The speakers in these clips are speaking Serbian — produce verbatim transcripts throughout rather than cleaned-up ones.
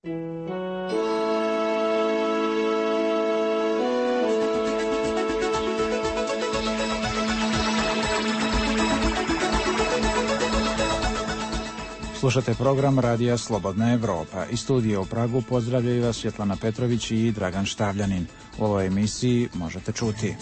Slušate program Radija Slobodna Evropa. Iz studija u Pragu pozdravljaju vas Svjetlana Petrović i Dragan Štavljanin. U ovoj emisiji možete čuti: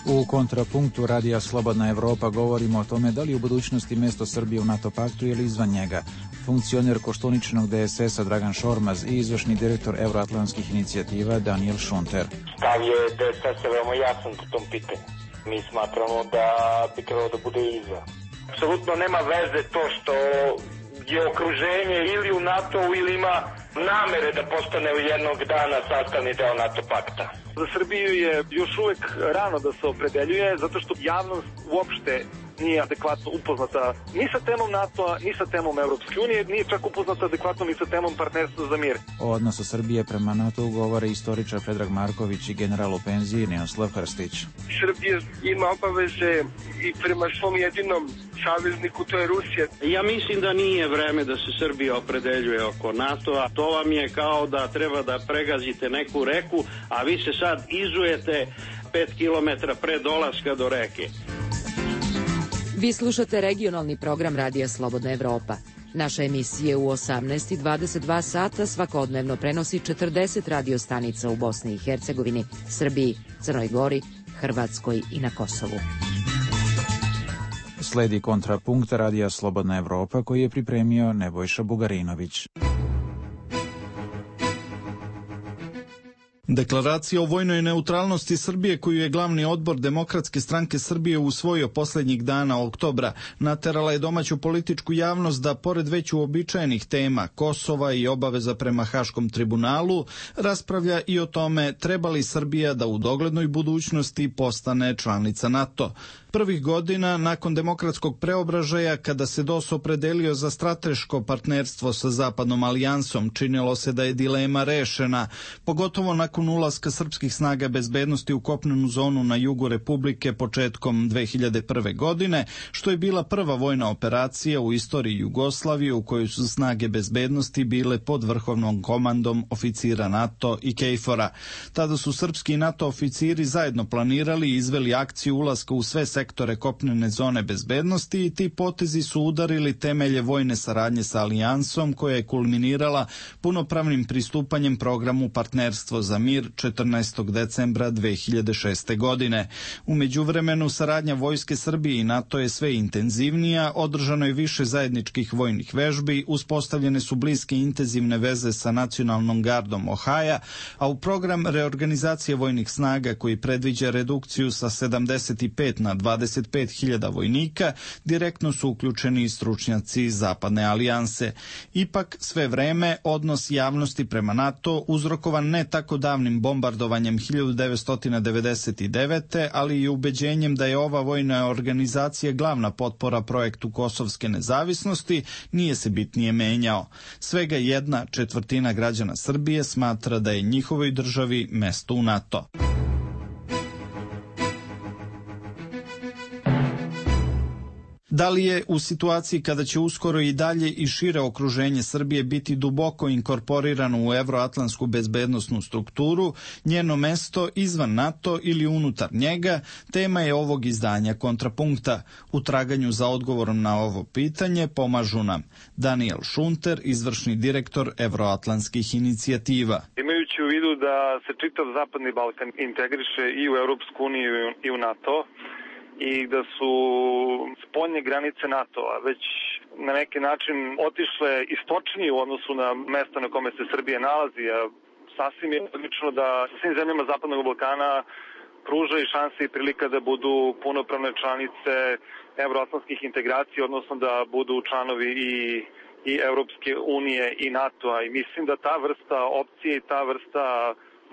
u kontrapunktu Radija Slobodna Evropa govorimo o tome da li u budućnosti mjesto Srbije u NATO paktu ili izvan njega. Funkcioner Koštuničinog D S S-a Dragan Šormaz i izvršni direktor Euroatlantskih inicijativa Daniel Šunter. Stav je D S S-a veoma jasan po tom pitanju. Mi smatramo da bi trebalo da bude izvan. Apsolutno nema veze to što je okruženje ili u NATO-u ili ima namere da postane u jednog dana sastavni deo NATO pakta. Za Srbiju je još uvek rano da se opredeljuje, zato što javnost uopšte nije adekvatno upoznata ni sa temom NATO-a, ni sa temom Evropske unije, nije čak upoznata adekvatno ni sa temom partnerstva za mir. O odnosu Srbije prema NATO-u govore istoričar Predrag Marković i general u penziji Ninoslav Hrstić. Srbija ima obaveze i prema svom jedinom savezniku, to je Rusija. Ja mislim da nije vreme da se Srbija opredeljuje oko NATO-a. To vam je kao da treba da pregazite neku reku, a vi se sad izujete pet kilometara pre dolaska do reke. Vi slušate regionalni program Radija Slobodna Evropa. Naša emisija u osamnaest i dvadeset dva sata svakodnevno prenosi četrdeset radio stanica u Bosni i Hercegovini, Srbiji, Crnoj Gori, Hrvatskoj i na Kosovu. Sledi kontrapunkt Radija Slobodna Evropa koji je pripremio Nebojša Bugarinović. Deklaracija o vojnoj neutralnosti Srbije, koju je glavni odbor Demokratske stranke Srbije usvojio posljednjih dana oktobra, naterala je domaću političku javnost da, pored već uobičajenih tema Kosova i obaveza prema Haškom tribunalu, raspravlja i o tome treba li Srbija da u doglednoj budućnosti postane članica NATO. Prvih godina, nakon demokratskog preobražaja, kada se D O S opredelio za strateško partnerstvo sa Zapadnom alijansom, činilo se da je dilema rešena, pogotovo nakon ulaska srpskih snaga bezbednosti u kopnenu zonu na jugu Republike početkom dve hiljade prve. godine, što je bila prva vojna operacija u istoriji Jugoslavije u kojoj su snage bezbednosti bile pod vrhovnom komandom oficira NATO i KFOR-a. Tada su srpski i NATO oficiri zajedno planirali i izveli akciju ulaska u sve sektore kopnene zone bezbednosti i ti potezi su udarili temelje vojne saradnje sa alijansom koja je kulminirala punopravnim pristupanjem programu Partnerstvo za mir četrnaestog decembra dve hiljade šeste. godine. U međuvremenu saradnja Vojske Srbije i NATO je sve intenzivnija, održano je više zajedničkih vojnih vežbi, uspostavljene su bliske intenzivne veze sa Nacionalnom gardom Ohaja, a u program reorganizacije vojnih snaga koji predviđa redukciju sa sedamdeset pet na dvadeset pet hiljada vojnika, direktno su uključeni i stručnjaci Zapadne alijanse. Ipak, sve vreme, odnos javnosti prema NATO uzrokovan ne tako davnim bombardovanjem hiljadu devetsto devedeset devete. ali i ubeđenjem da je ova vojna organizacija glavna potpora projektu kosovske nezavisnosti, nije se bitnije menjao. Svega jedna četvrtina građana Srbije smatra da je njihovoj državi mesto u NATO. Da li je u situaciji kada će uskoro i dalje i šire okruženje Srbije biti duboko inkorporirano u evroatlantsku bezbednosnu strukturu, njeno mesto izvan NATO ili unutar njega, tema je ovog izdanja Kontrapunkta. U traganju za odgovorom na ovo pitanje pomažu nam Daniel Šunter, izvršni direktor Evroatlantskih inicijativa. Imajući u vidu da se čitav Zapadni Balkan integriše i u Europsku uniju i u NATO, i da su spoljne granice NATO-a već na neki način otišle istočnije u odnosu na mesto na kome se Srbija nalazi, a sasvim je logično da svim zemljama Zapadnog Balkana pruža i šanse i prilika da budu punopravne članice evroatlantskih integracija, odnosno da budu članovi i, i Europske unije i NATO-a. I mislim da ta vrsta opcije i ta vrsta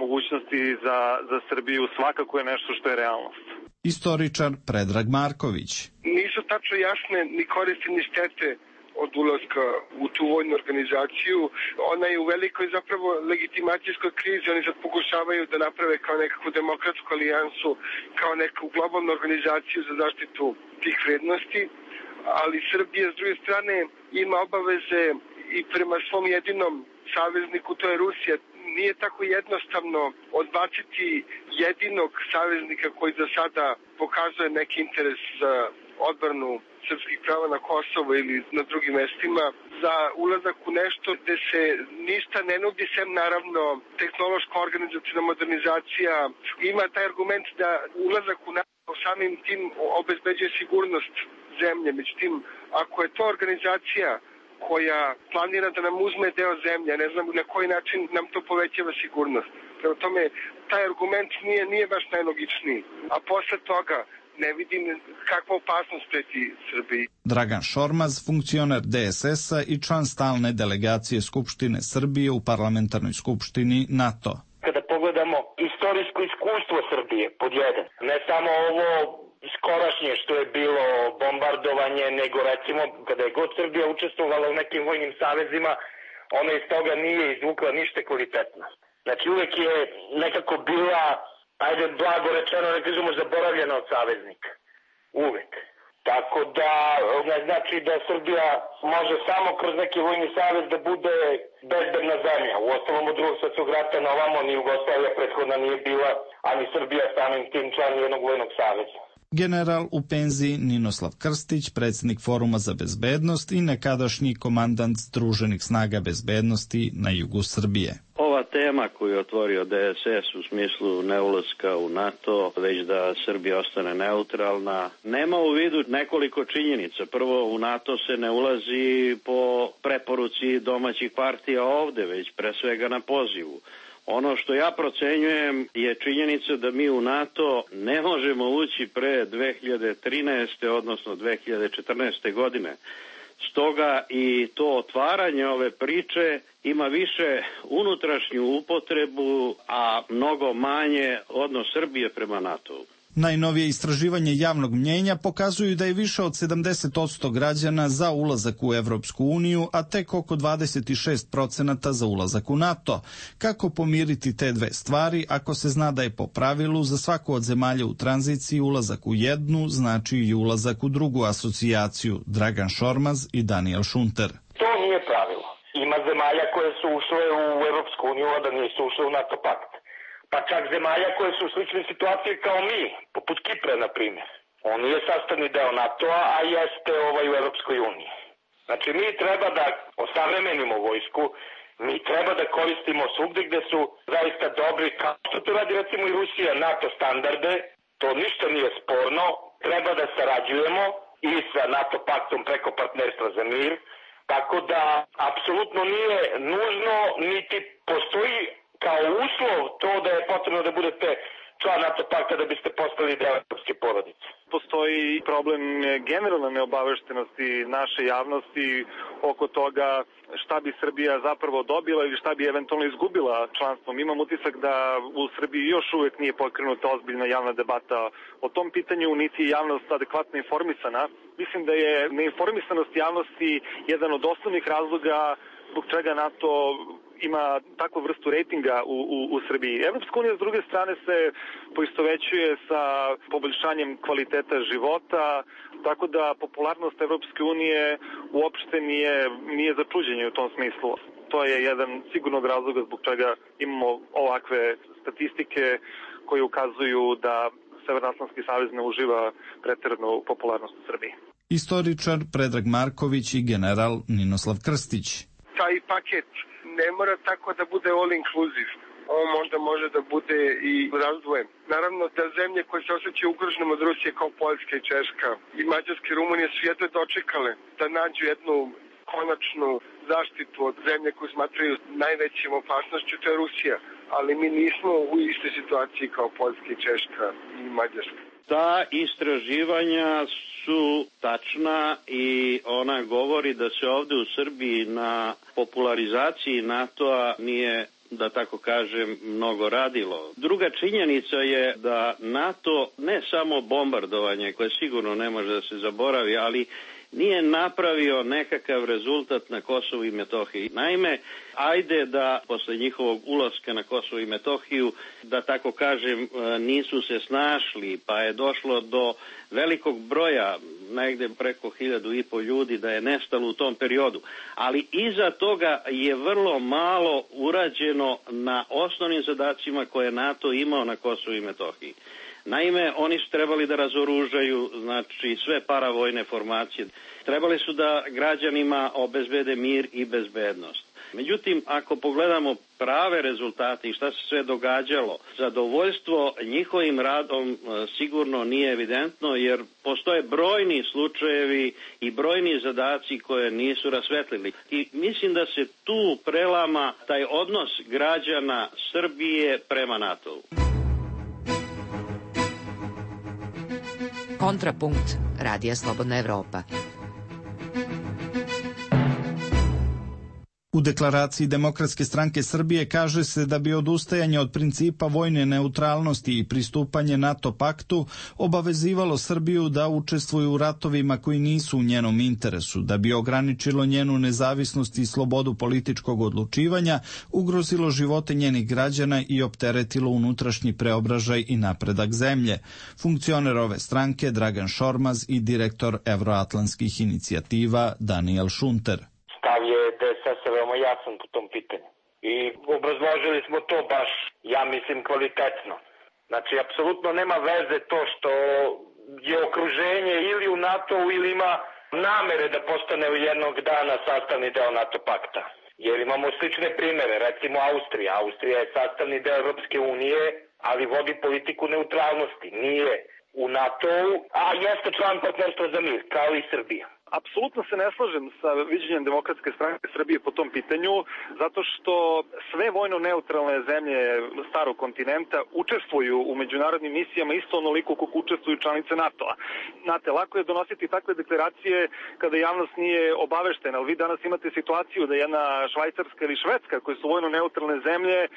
mogućnosti za, za Srbiju svakako je nešto što je realnost. Istoričar Predrag Marković. Nisu tačno jasne ni koristi ni štete od ulaska u tu vojnu organizaciju. Ona je u velikoj zapravo legitimacijskoj krizi. Oni sad pokušavaju da naprave kao nekakvu demokratsku alijansu, kao neku globalnu organizaciju za zaštitu tih vrednosti. Ali Srbija s druge strane ima obaveze i prema svom jedinom savezniku, to je Rusija. Nije tako jednostavno odbaciti jedinog saveznika koji za sada pokazuje neki interes za odbranu srpskih prava na Kosovo ili na drugim mestima, za ulazak u nešto gde se ništa ne nudi, sem naravno tehnološka organizacijna modernizacija. Ima taj argument da ulazak u NATO samim tim obezbeđuje sigurnost zemlje. Međutim, ako je to organizacija koja planira da nam uzme deo zemlje, ne znam na koji način nam to povećava sigurnost. Prema tome, taj argument nije, nije baš najlogičniji. A posle toga ne vidim kakva opasnost preti Srbiji. Dragan Šormaz, funkcioner D S S-a i član stalne delegacije Skupštine Srbije u Parlamentarnoj skupštini NATO. Kada pogledamo istorijsko iskustvo Srbije, pod jedan, ne samo ovo skorašnje što je bilo bombardovanje, nego recimo kada je god Srbija učestvovala u nekim vojnim savezima, ona iz toga nije izvukla ništa kvalitetno. Znači uvek je nekako bila, ajde blago rečeno, ne kažemo, zaboravljena od saveznika. Uvek. Tako da ne znači da Srbija može samo kroz neki vojni savez da bude bezbedna zemlja. U ostalom od drugog svetskog rata na ovamo ni Jugoslavija prethodna nije bila, ani Srbija samim tim član jednog vojnog saveza. General u penziji Ninoslav Krstić, predsjednik Foruma za bezbednost i nekadašnji komandant Združenih snaga bezbednosti na jugu Srbije. Ova tema koju je otvorio D S S u smislu neulaska u NATO, već da Srbija ostane neutralna, nema u vidu nekoliko činjenica. Prvo, u NATO se ne ulazi po preporuci domaćih partija ovde, već pre svega na pozivu. Ono što ja procenjujem je činjenica da mi u NATO ne možemo ući pre dve hiljade trinaeste. odnosno dve hiljade četrnaeste. godine. Stoga i to otvaranje ove priče ima više unutrašnju upotrebu, a mnogo manje odnos Srbije prema NATO-u. Najnovije istraživanje javnog mnjenja pokazuju da je više od sedamdeset posto građana za ulazak u Evropsku uniju, a tek oko dvadeset šest procenata za ulazak u NATO. Kako pomiriti te dve stvari ako se zna da je po pravilu za svaku od zemalja u tranziciji ulazak u jednu znači i ulazak u drugu asocijaciju? Dragan Šormaz i Daniel Šunter. To nije pravilo. Ima zemalja koje su ušle u Evropsku uniju, a da nisu ušle u NATO pakt. Pa čak zemalja koje su u sličnoj situaciji kao mi, poput Kipra, na primjer. On nije sastavni deo NATO-a, a jeste ovaj u Evropskoj uniji. Znači, mi treba da osavremenimo vojsku, mi treba da koristimo svugde gde su zaista dobri, kao što to radi recimo i Rusija, NATO standarde, to ništa nije sporno, treba da sarađujemo i sa NATO paktom preko partnerstva za mir, tako da apsolutno nije nužno, niti postoji kao uslov to da je potrebno da budete član NATO pakta da biste postali deo evropske porodice. Postoji problem generalne neobaveštenosti naše javnosti oko toga šta bi Srbija zapravo dobila ili šta bi eventualno izgubila članstvom. Imam utisak da u Srbiji još uvek nije pokrenuta ozbiljna javna debata o tom pitanju, niti je javnost adekvatno informisana. Mislim da je neinformisanost javnosti jedan od osnovnih razloga zbog čega NATO ima takvu vrstu rejtinga u, u, u Srbiji. Evropska unija s druge strane se poistovećuje sa poboljšanjem kvaliteta života, tako da popularnost Evropske unije uopšte nije, nije za čuđenje u tom smislu. To je jedan sigurnog razloga zbog čega imamo ovakve statistike koje ukazuju da Severnoatlantski savez ne uživa preteranu popularnost u Srbiji. Istoričar Predrag Marković i general Ninoslav Krstić. Taj paket ne mora tako da bude all inclusive. On možda može da bude i razdvojen. Naravno da zemlje koje se osjećaju ugroženom od Rusije kao Poljska i Češka i Mađarska i Rumunija su jedno dočekale da nađu jednu konačnu zaštitu od zemlje koju smatraju najvećim opasnošću, to je Rusija. Ali mi nismo u istoj situaciji kao Poljska i Češka i Mađarska. Ta istraživanja su tačna i ona govori da se ovde u Srbiji na popularizaciji NATO-a nije, da tako kažem, mnogo radilo. Druga činjenica je da NATO ne samo bombardovanje, koje sigurno ne može da se zaboravi, ali nije napravio nekakav rezultat na Kosovu i Metohiji. Naime, ajde da posle njihovog ulaska na Kosovo i Metohiju, da tako kažem, nisu se snašli, pa je došlo do velikog broja, negde preko hiljadu i po ljudi da je nestalo u tom periodu. Ali iza toga je vrlo malo urađeno na osnovnim zadacima koje je NATO imao na Kosovu i Metohiji. Naime, oni su trebali da razoružaju, znači, sve paravojne formacije. Trebali su da građanima obezbede mir i bezbednost. Međutim, ako pogledamo prave rezultate i šta se sve događalo, zadovoljstvo njihovim radom sigurno nije evidentno, jer postoje brojni slučajevi i brojni zadaci koje nisu rasvetlili. I mislim da se tu prelama taj odnos građana Srbije prema NATO-u. Kontrapunkt Radija Slobodna Evropa. U deklaraciji Demokratske stranke Srbije kaže se da bi odustajanje od principa vojne neutralnosti i pristupanje NATO paktu obavezivalo Srbiju da učestvuje u ratovima koji nisu u njenom interesu, da bi ograničilo njenu nezavisnost i slobodu političkog odlučivanja, ugrozilo živote njenih građana i opteretilo unutrašnji preobražaj i napredak zemlje. Funkcioner ove stranke Dragan Šormaz i direktor evroatlantskih inicijativa Daniel Šunter. Stav je D S S veoma jasan po tom pitanju. I obrazložili smo to baš, ja mislim, kvalitetno. Znači, apsolutno nema veze to što je okruženje ili u NATO-u ili ima namere da postane u jednog dana sastavni deo NATO pakta. Jer imamo slične primere, recimo Austrija. Austrija je sastavni deo Evropske unije, ali vodi politiku neutralnosti. Nije u NATO-u, a jeste član partnerstva za mir, kao i Srbija. Apsolutno se ne slažem sa viđenjem Demokratske stranke Srbije po tom pitanju, zato što sve vojno neutralne zemlje starog kontinenta učestvuju u međunarodnim misijama isto onoliko koliko učestvuju članice NATO-a. Znate, lako je donositi takve deklaracije kada javnost nije obaveštena, ali vi danas imate situaciju da jedna Švajcarska ili Švedska, koje su vojno neutralne zemlje,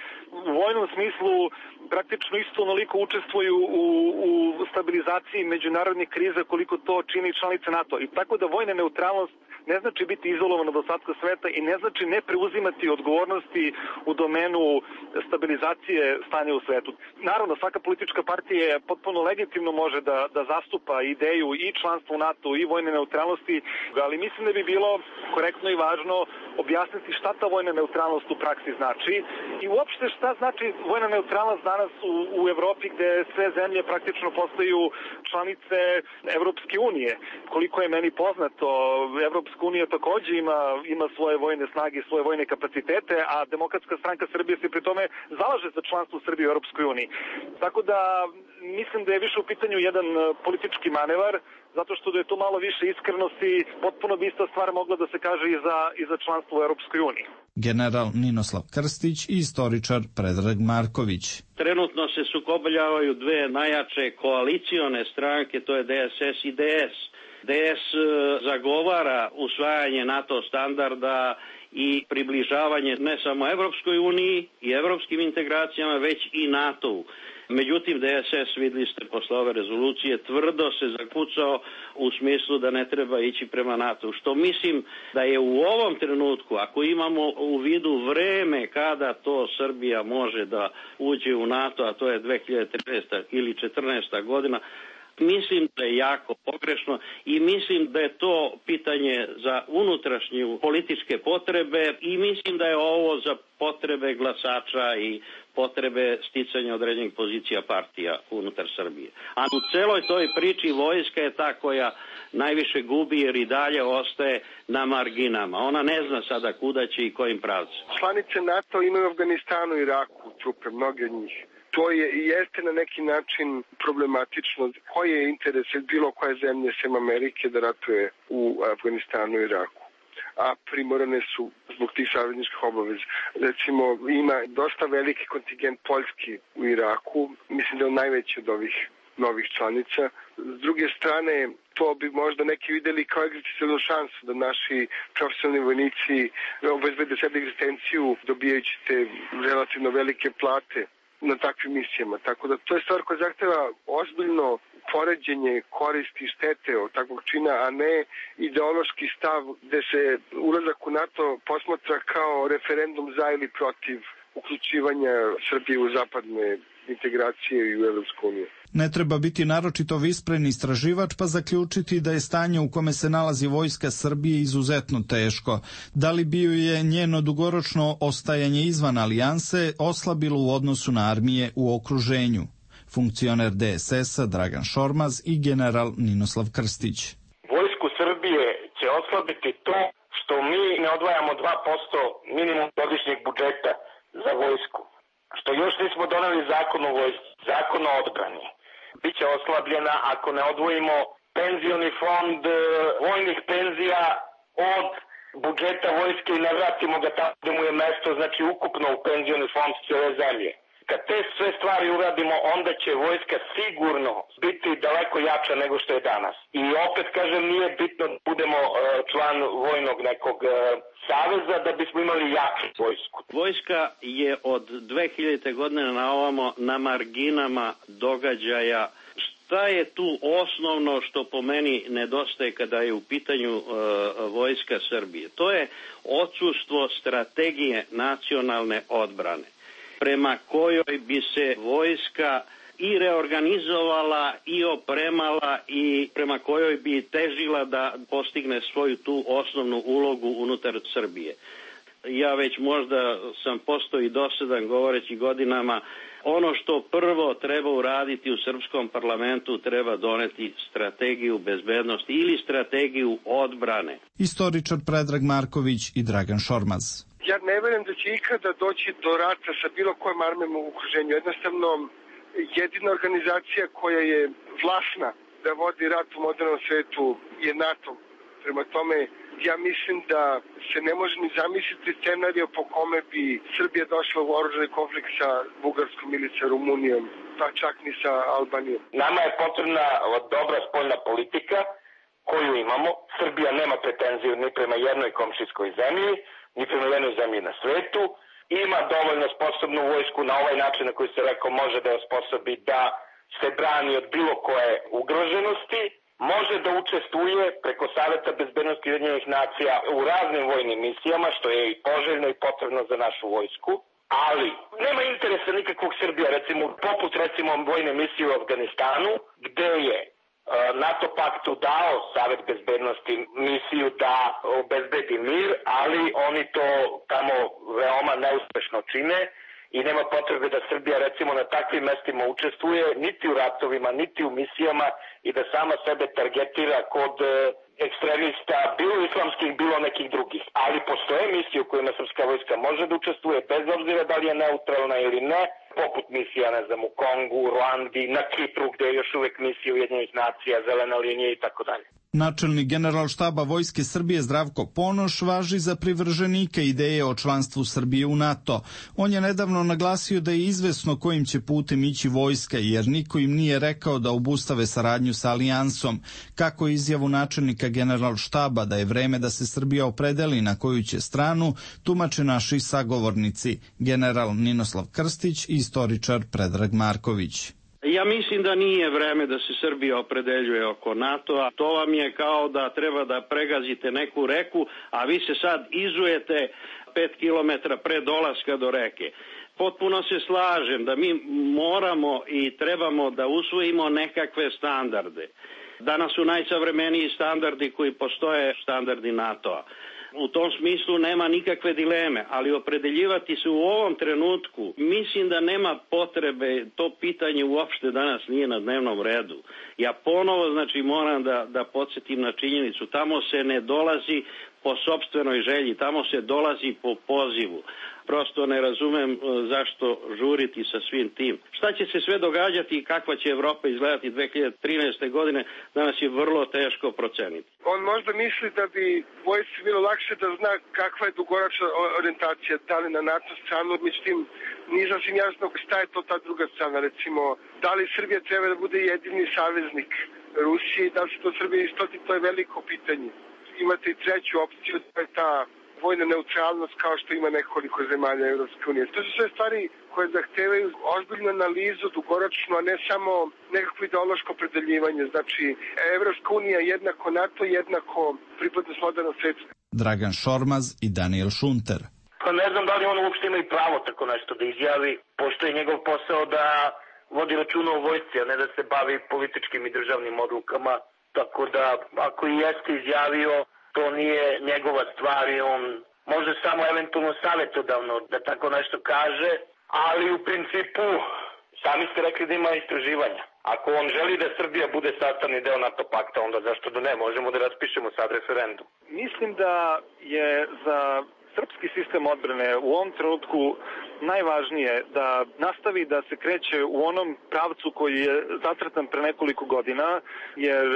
u vojnom smislu praktično isto onoliko učestvuju u, u stabilizaciji međunarodnih kriza koliko to čini članice NATO. I tako da vojna neutralnost ne znači biti izolovan od ostatka sveta i ne znači ne preuzimati odgovornosti u domenu stabilizacije stanja u svetu. Naravno, svaka politička partija potpuno legitimno može da, da zastupa ideju i članstva u NATO i vojne neutralnosti, ali mislim da bi bilo korektno i važno objasniti šta ta vojna neutralnost u praksi znači i uopšte šta znači vojna neutralnost danas u, u Evropi gde sve zemlje praktično postaju članice Evropske unije. Koliko je meni poznato, Evropska unija takođe ima, ima svoje vojne snage, svoje vojne kapacitete, a Demokratska stranka Srbije se pri tome zalaže za članstvo Srbije u Evropskoj uniji. Tako da mislim da je više u pitanju jedan politički manevar, zato što da je tu malo više iskrenosti, potpuno bi ista stvar mogla da se kaže i za, i za članstvo u Evropskoj uniji. General Ninoslav Krstić i istoričar Predrag Marković. Trenutno se sukobljavaju dve najjače koalicione stranke, to je D S S i D S. D S zagovara usvajanje NATO standarda i približavanje ne samo Evropskoj uniji i evropskim integracijama, već i NATO-u. Međutim, D S S, videli ste posle ove rezolucije, tvrdo se zakucao u smislu da ne treba ići prema NATO. Što mislim da je u ovom trenutku, ako imamo u vidu vreme kada to Srbija može da uđe u NATO, a to je dve hiljade trinaesta ili četrnaesta godina, mislim da je jako pogrešno i mislim da je to pitanje za unutrašnje političke potrebe i mislim da je ovo za potrebe glasača i potrebe sticanja određenih pozicija partija unutar Srbije. A u celoj toj priči vojska je ta koja najviše gubi jer i dalje ostaje na marginama. Ona ne zna sada kuda će i kojim pravcem. Članice NATO imaju u Afganistanu i Iraku trupe, mnoge od njih. To je i jeste na neki način problematično. Koji je interes bilo koje zemlje sem Amerike da ratuje u Afganistanu i Iraku? A primorane su zbog tih savezničkih obaveza. Recimo, ima dosta veliki kontingent Poljski u Iraku, mislim da je on najveći od ovih novih članica. S druge strane, to bi možda neki videli kao egzistencijalnu šansu da naši profesionalni vojnici obezbede sebi egzistenciju dobijajući te relativno velike plate na takvim misijama. Tako da to je stvar koja zahteva ozbiljno poređenje koristi i štete od takvog čina, a ne ideološki stav gde se ulazak u NATO posmatra kao referendum za ili protiv uključivanja Srbije u zapadne integracije i u Evropsku uniju. Ne treba biti naročito vispren istraživač pa zaključiti da je stanje u kome se nalazi vojska Srbije izuzetno teško. Da li bi ju je njeno dugoročno ostajanje izvan alijanse oslabilo u odnosu na armije u okruženju? Funkcioner D S S-a Dragan Šormaz i general Ninoslav Krstić. Vojsku Srbije će oslabiti to što mi ne odvajamo dva posto minimum godišnjeg budžeta za vojsku. Što još nismo doneli zakon o vojsci, zakon o odbrani. Biće oslabljena ako ne odvojimo penzioni fond vojnih penzija od budžeta vojske i ne vratimo ga tamo gde mu je mesto, znači ukupno u penzioni fond cijele zemlje. Kad te sve stvari uradimo, onda će vojska sigurno biti daleko jača nego što je danas. I opet kažem, nije bitno da budemo član vojnog nekog saveza da bismo imali jaču vojsku. Vojska je od dve hiljadite godine na ovamo na marginama događaja. Šta je tu osnovno što po meni nedostaje kada je u pitanju uh, vojska Srbije? To je odsustvo strategije nacionalne odbrane, prema kojoj bi se vojska i reorganizovala i opremala i prema kojoj bi težila da postigne svoju tu osnovnu ulogu unutar Srbije. Ja već možda sam postao i dosadan govoreći godinama, ono što prvo treba uraditi u srpskom parlamentu, treba doneti strategiju bezbednosti ili strategiju odbrane. Istoričar Predrag Marković i Dragan Šormaz. Ja ne verujem da će ikada doći do rata sa bilo kojom armijom u okruženju. Jednostavno, jedina organizacija koja je vlasna da vodi rat u modernom svetu je NATO. Prema tome, ja mislim da se ne može ni zamisliti scenario po kome bi Srbija došla u oružani konflikt sa Bugarskom ili sa Rumunijom, pa čak ni sa Albanijom. Nama je potrebna dobra spoljna politika koju imamo. Srbija nema pretenziju ni prema jednoj komšijskoj zemlji, ni prema jednoj zemlji na svetu. Ima dovoljno sposobnu vojsku na ovaj način na koji se rekao može da je osposobi da se brani od bilo koje ugroženosti. Može da učestvuje preko Saveta bezbednosti Ujedinjenih nacija u raznim vojnim misijama, što je i poželjno i potrebno za našu vojsku. Ali nema interesa nikakvog Srbija, recimo, poput recimo vojne misije u Afganistanu, gde je NATO paktu dao Savet bezbednosti misiju da obezbedi mir, ali oni to tamo veoma neuspešno čine i nema potrebe da Srbija recimo na takvim mestima učestvuje niti u ratovima, niti u misijama i da sama sebe targetira kod ekstremista, bilo islamskih, bilo nekih drugih. Ali postoje misije u kojima srpska vojska može da učestvuje bez obzira da li je neutralna ili ne, poput misija, ne znam, u Kongu, u Ruandi, na Kipru gde je još uvek misija Ujedinjenih nacija, zelena linija i tako dalje. Načelnik Generalštaba Vojske Srbije Zdravko Ponoš važi za privrženike ideje o članstvu Srbije u NATO. On je nedavno naglasio da je izvesno kojim će putem ići vojska, jer niko im nije rekao da obustave saradnju sa alijansom. Kako izjavu načelnika Generalštaba da je vreme da se Srbija opredeli na koju će stranu, tumače naši sagovornici, general Ninoslav Krstić i istoričar Predrag Marković. Ja mislim da nije vreme da se Srbija opredeljuje oko NATO-a. To vam je kao da treba da pregazite neku reku, a vi se sad izujete pet kilometara pre dolaska do reke. Potpuno se slažem da mi moramo i trebamo da usvojimo nekakve standarde. Danas su najsavremeniji standardi koji postoje, standardi NATO-a. U tom smislu nema nikakve dileme, ali opredeljivati se u ovom trenutku, mislim da nema potrebe, to pitanje uopšte danas nije na dnevnom redu. Ja ponovo, znači, moram da, da podsjetim na činjenicu, tamo se ne dolazi po sopstvenoj želji, tamo se dolazi po pozivu. Prosto ne razumem zašto žuriti sa svim tim. Šta će se sve događati i kakva će Evropa izgledati dve hiljade trinaeste. godine, danas je vrlo teško proceniti. On možda misli da bi vojsci bilo lakše da zna kakva je dugoročna orijentacija, da li na NATO stranu, međutim nije sasvim jasno šta je to ta druga strana. Recimo, da li Srbija treba da bude jedini saveznik Rusije, da li se to Srbija istoti, to je veliko pitanje. Imate i treću opciju, to je ta vojna neutralnost kao što ima nekoliko zemalja Evropske unije. To su sve stvari koje zahtevaju ozbiljnu analizu, dugoročno, a ne samo nekakvo ideološko opredeljivanje. Znači, Evropska unija jednako NATO, jednako pripadnost modernom svetu. Dragan Šormaz i Daniel Šunter. Pa ne znam da li on uopšte ima i pravo tako nešto da izjavi, pošto je njegov posao da vodi računa o vojsci, a ne da se bavi političkim i državnim odlukama. Tako da, ako i jeste izjavio, to nije njegova stvar i on može samo eventualno savjetodavno da tako nešto kaže, ali u principu sami ste rekli da ima istraživanja. Ako on želi da Srbija bude sastavni deo NATO pakta, onda zašto da ne, možemo da raspišemo sad referendum. Mislim da je za srpski sistem odbrane u ovom trenutku najvažnije da nastavi da se kreće u onom pravcu koji je zacrtan pre nekoliko godina, jer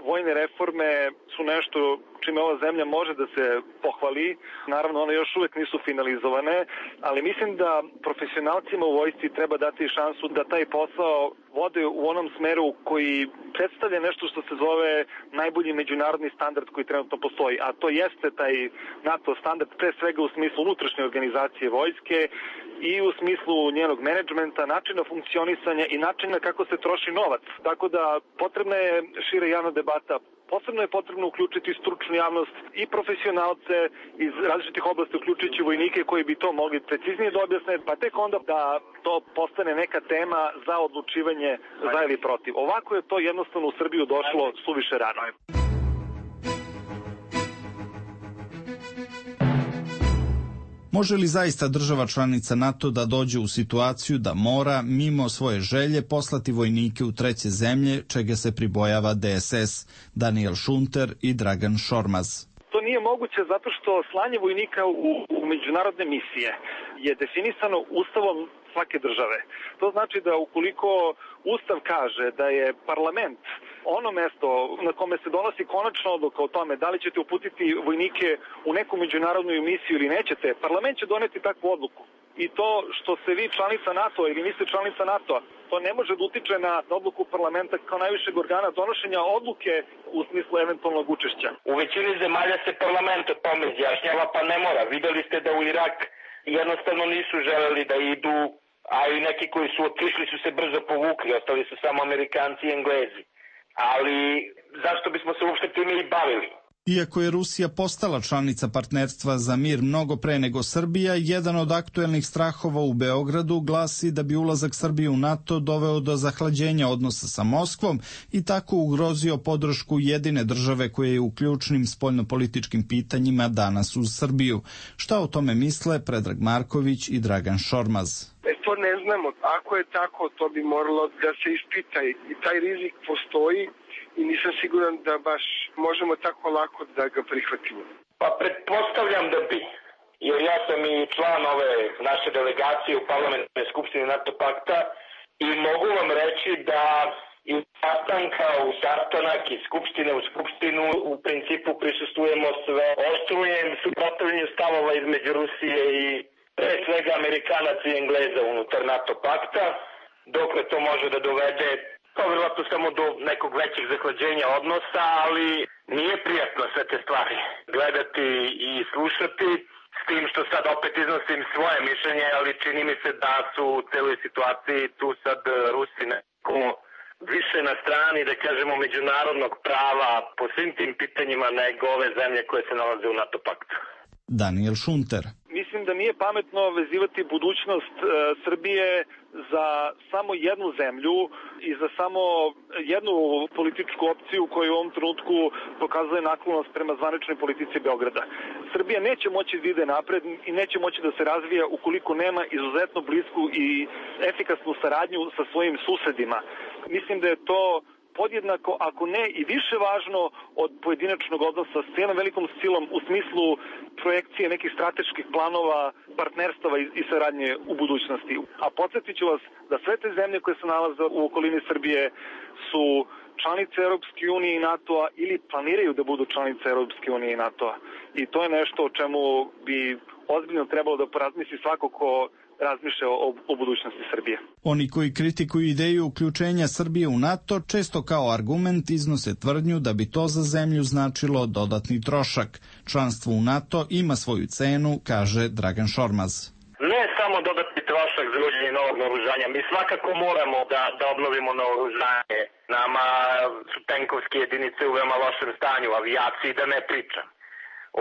vojne reforme su nešto čime ova zemlja može da se pohvali. Naravno, one još uvek nisu finalizovane, ali mislim da profesionalcima u vojsci treba dati šansu da taj posao vode u onom smeru koji predstavlja nešto što se zove najbolji međunarodni standard koji trenutno postoji, a to jeste taj NATO standard, pre svega u smislu unutrašnje organizacije vojske i u smislu njenog menadžmenta, načina funkcionisanja i načina kako se troši novac. Tako da potrebna je šira javna debata. Posebno je potrebno uključiti stručnu javnost i profesionalce iz različitih oblasti, uključujući vojnike koji bi to mogli preciznije da objasne, pa tek onda da to postane neka tema za odlučivanje za ili protiv. Ovako je to jednostavno u Srbiju došlo suviše rano. Može li zaista država članica NATO da dođe u situaciju da mora, mimo svoje želje, poslati vojnike u treće zemlje, čega se pribojava D S S, Daniel Šunter i Dragan Šormaz? To nije moguće zato što slanje vojnika u, u međunarodne misije je definisano ustavom svake države. To znači da ukoliko Ustav kaže da je parlament ono mesto na kome se donosi konačna odluka o tome da li ćete uputiti vojnike u neku međunarodnu misiju ili nećete, parlament će doneti takvu odluku. I to što se vi članica NATO ili niste članica NATO, to ne može da utiče na odluku parlamenta kao najvišeg organa donošenja odluke u smislu eventualnog učešća. U većini zemalja se parlament o tome izjašnjava, pa ne mora. Videli ste da u Irak jednostavno nisu želeli da idu, a i neki koji su otišli su se brzo povukli, ostali su samo Amerikanci i Englezi. Ali zašto bismo se uopšte time i bavili? Iako je Rusija postala članica partnerstva za mir mnogo pre nego Srbija, jedan od aktuelnih strahova u Beogradu glasi da bi ulazak Srbije u NATO doveo do zahlađenja odnosa sa Moskvom i tako ugrozio podršku jedine države koje je u ključnim spoljnopolitičkim pitanjima danas uz Srbiju. Šta o tome misle Predrag Marković i Dragan Šormaz? E, to ne znamo. Ako je tako, to bi moralo da se ispita i taj rizik postoji. I nisam siguran da baš možemo tako lako da ga prihvatimo. Pa pretpostavljam da bi, jer ja sam i član ove naše delegacije u parlamentarnoj skupštini NATO pakta i mogu vam reći da iz sastanka u sastanak i skupštine u skupštinu u principu prisustujemo sve oštrujem suprotstavljanju stavova između Rusije i pre svega Amerikanaca i Engleza unutar NATO pakta, dokle to može da dovede to vjerojatno samo do nekog većeg zahlađenja odnosa, ali nije prijatno sve te stvari gledati i slušati, s tim što sad opet iznosim svoje mišljenje, ali čini mi se da su u celoj situaciji tu sad Rusi neko više na strani, da kažemo, međunarodnog prava po svim tim pitanjima nego ove zemlje koje se nalaze u NATO paktu. Daniel Šunter. Mislim da nije pametno vezivati budućnost e, Srbije za samo jednu zemlju i za samo jednu političku opciju koju u ovom trenutku pokazuje naklonost prema zvaničnoj politici Beograda. Srbija neće moći da ide napred i neće moći da se razvija ukoliko nema izuzetno blisku i efikasnu saradnju sa svojim susedima. Mislim da je to podjednako, ako ne i više važno od pojedinačnog odnosa s jednom velikom silom u smislu projekcije nekih strateških planova, partnerstava i saradnje u budućnosti. A podsjetit ću vas da sve te zemlje koje se nalaze u okolini Srbije su članice Europske unije i NATO-a ili planiraju da budu članice Europske unije i NATO-a. I to je nešto o čemu bi ozbiljno trebalo da porazmisli svako ko razmišlja o, o budućnosti Srbije. Oni koji kritikuju ideju uključenja Srbije u NATO često kao argument iznose tvrdnju da bi to za zemlju značilo dodatni trošak. Članstvo u NATO ima svoju cenu, kaže Dragan Šormaz. Ne samo dodatni trošak za uvođenje novog naoružanja. Mi svakako moramo da, da obnovimo naoružanje. Nama su tenkovske jedinice u veoma lošem stanju, avijaciji da ne pričam.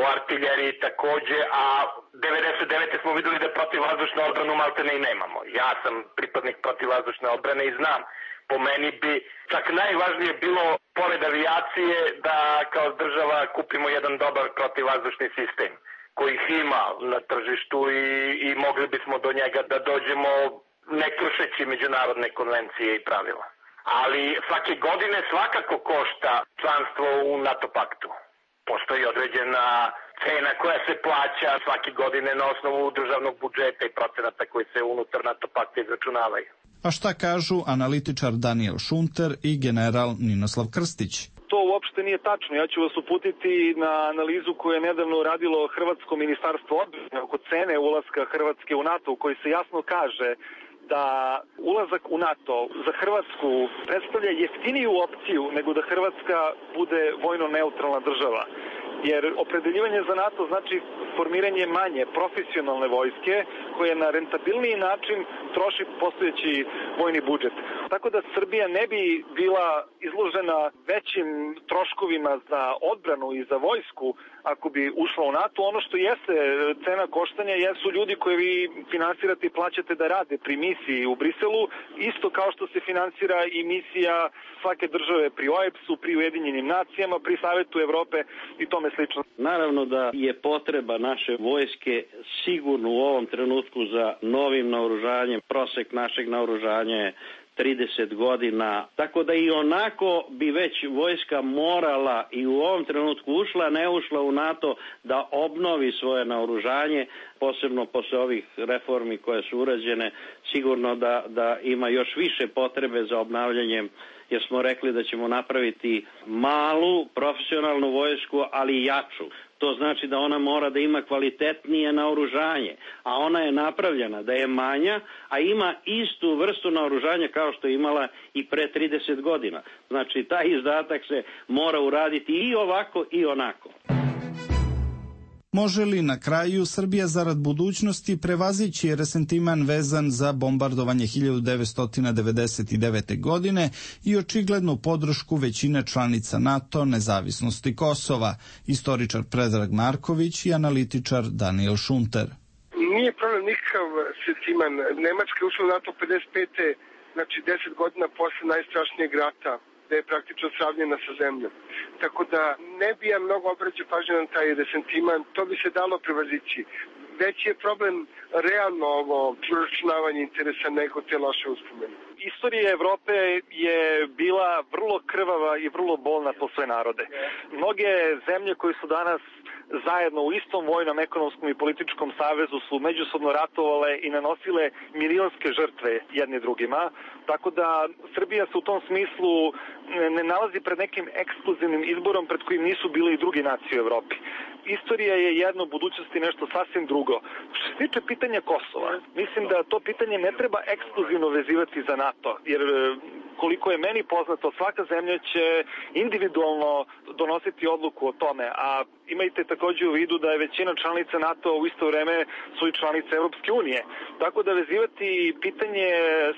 O artiljeriji takođe, a devedeset devete smo videli da protivvazdušnu odbranu maltene i nemamo. Ja sam pripadnik protivvazdušne odbrane i znam. Po meni bi čak najvažnije bilo, pored avijacije, da kao država kupimo jedan dobar protivvazdušni sistem kojih ima na tržištu i, i mogli bismo do njega da dođemo ne kršeći međunarodne konvencije i pravila. Ali svake godine svakako košta članstvo u NATO paktu. Postoji određena cena koja se plaća svake godine na osnovu državnog budžeta i procenata koji se unutar NATO pakta izračunavaju. A šta kažu analitičar Daniel Šunter i general Ninoslav Krstić? To uopšte nije tačno. Ja ću vas uputiti na analizu koju je nedavno radilo Hrvatsko ministarstvo odbrane oko cene ulaska Hrvatske u NATO, u kojoj se jasno kaže da ulazak u NATO za Hrvatsku predstavlja jeftiniju opciju nego da Hrvatska bude vojno neutralna država. Jer opredeljivanje za NATO znači formiranje manje profesionalne vojske koje na rentabilniji način troši postojeći vojni budžet. Tako da Srbija ne bi bila izložena većim troškovima za odbranu i za vojsku ako bi ušla u NATO. Ono što jeste cena koštanja jesu ljudi koje vi finansirate i plaćate da rade pri misiji u Briselu, isto kao što se finansira i misija svake države pri O E B S-u, pri Ujedinjenim nacijama, pri Savetu Evrope i tome slično. Naravno da je potreba naše vojske sigurno u ovom trenutku za novim naoružanjem. Prosek našeg naoružanja je trideset godina, tako da i onako bi već vojska morala i u ovom trenutku ušla, ne ušla u NATO, da obnovi svoje naoružanje, posebno posle ovih reformi koje su urađene, sigurno da, da ima još više potrebe za obnavljanjem, jer smo rekli da ćemo napraviti malu profesionalnu vojsku, ali jaču. To znači da ona mora da ima kvalitetnije naoružanje, a ona je napravljena da je manja, a ima istu vrstu naoružanja kao što je imala i pre trideset godina. Znači, taj izdatak se mora uraditi i ovako i onako. Može li na kraju Srbija zarad budućnosti prevazići resentiman vezan za bombardovanje hiljadu devetsto devedeset devete. godine i očiglednu podršku većine članica NATO nezavisnosti Kosova? Istoričar Predrag Marković i analitičar Daniel Šunter. Nije problem nikakav sentiman. Nemačka je ušla u NATO pedeset pete. znači deset godina posle najstrašnijeg rata, da je praktično sravnjena sa zemljom. Tako da ne bi ja mnogo obraćao pažnju na taj resentiman, to bi se dalo prevazići. Veći je problem realno ovo proračunavanje interesa nego te loše uspomene. Istorija Evrope je bila vrlo krvava i vrlo bolna po sve narode. Mnoge zemlje koje su danas zajedno u istom vojnom, ekonomskom i političkom savezu su međusobno ratovale i nanosile milionske žrtve jedni drugima. Tako da Srbija se u tom smislu ne nalazi pred nekim ekskluzivnim izborom pred kojim nisu bili i drugi nacije u Evropi. Istorija je jedno, budućnost je nešto sasvim drugo. Što se tiče pitanja Kosova, mislim da to pitanje ne treba ekskluzivno vezivati za NATO, jer koliko je meni poznato, svaka zemlja će individualno donositi odluku o tome, a imajte također u vidu da je većina članica NATO u isto vreme su i članice Evropske unije. Tako da vezivati pitanje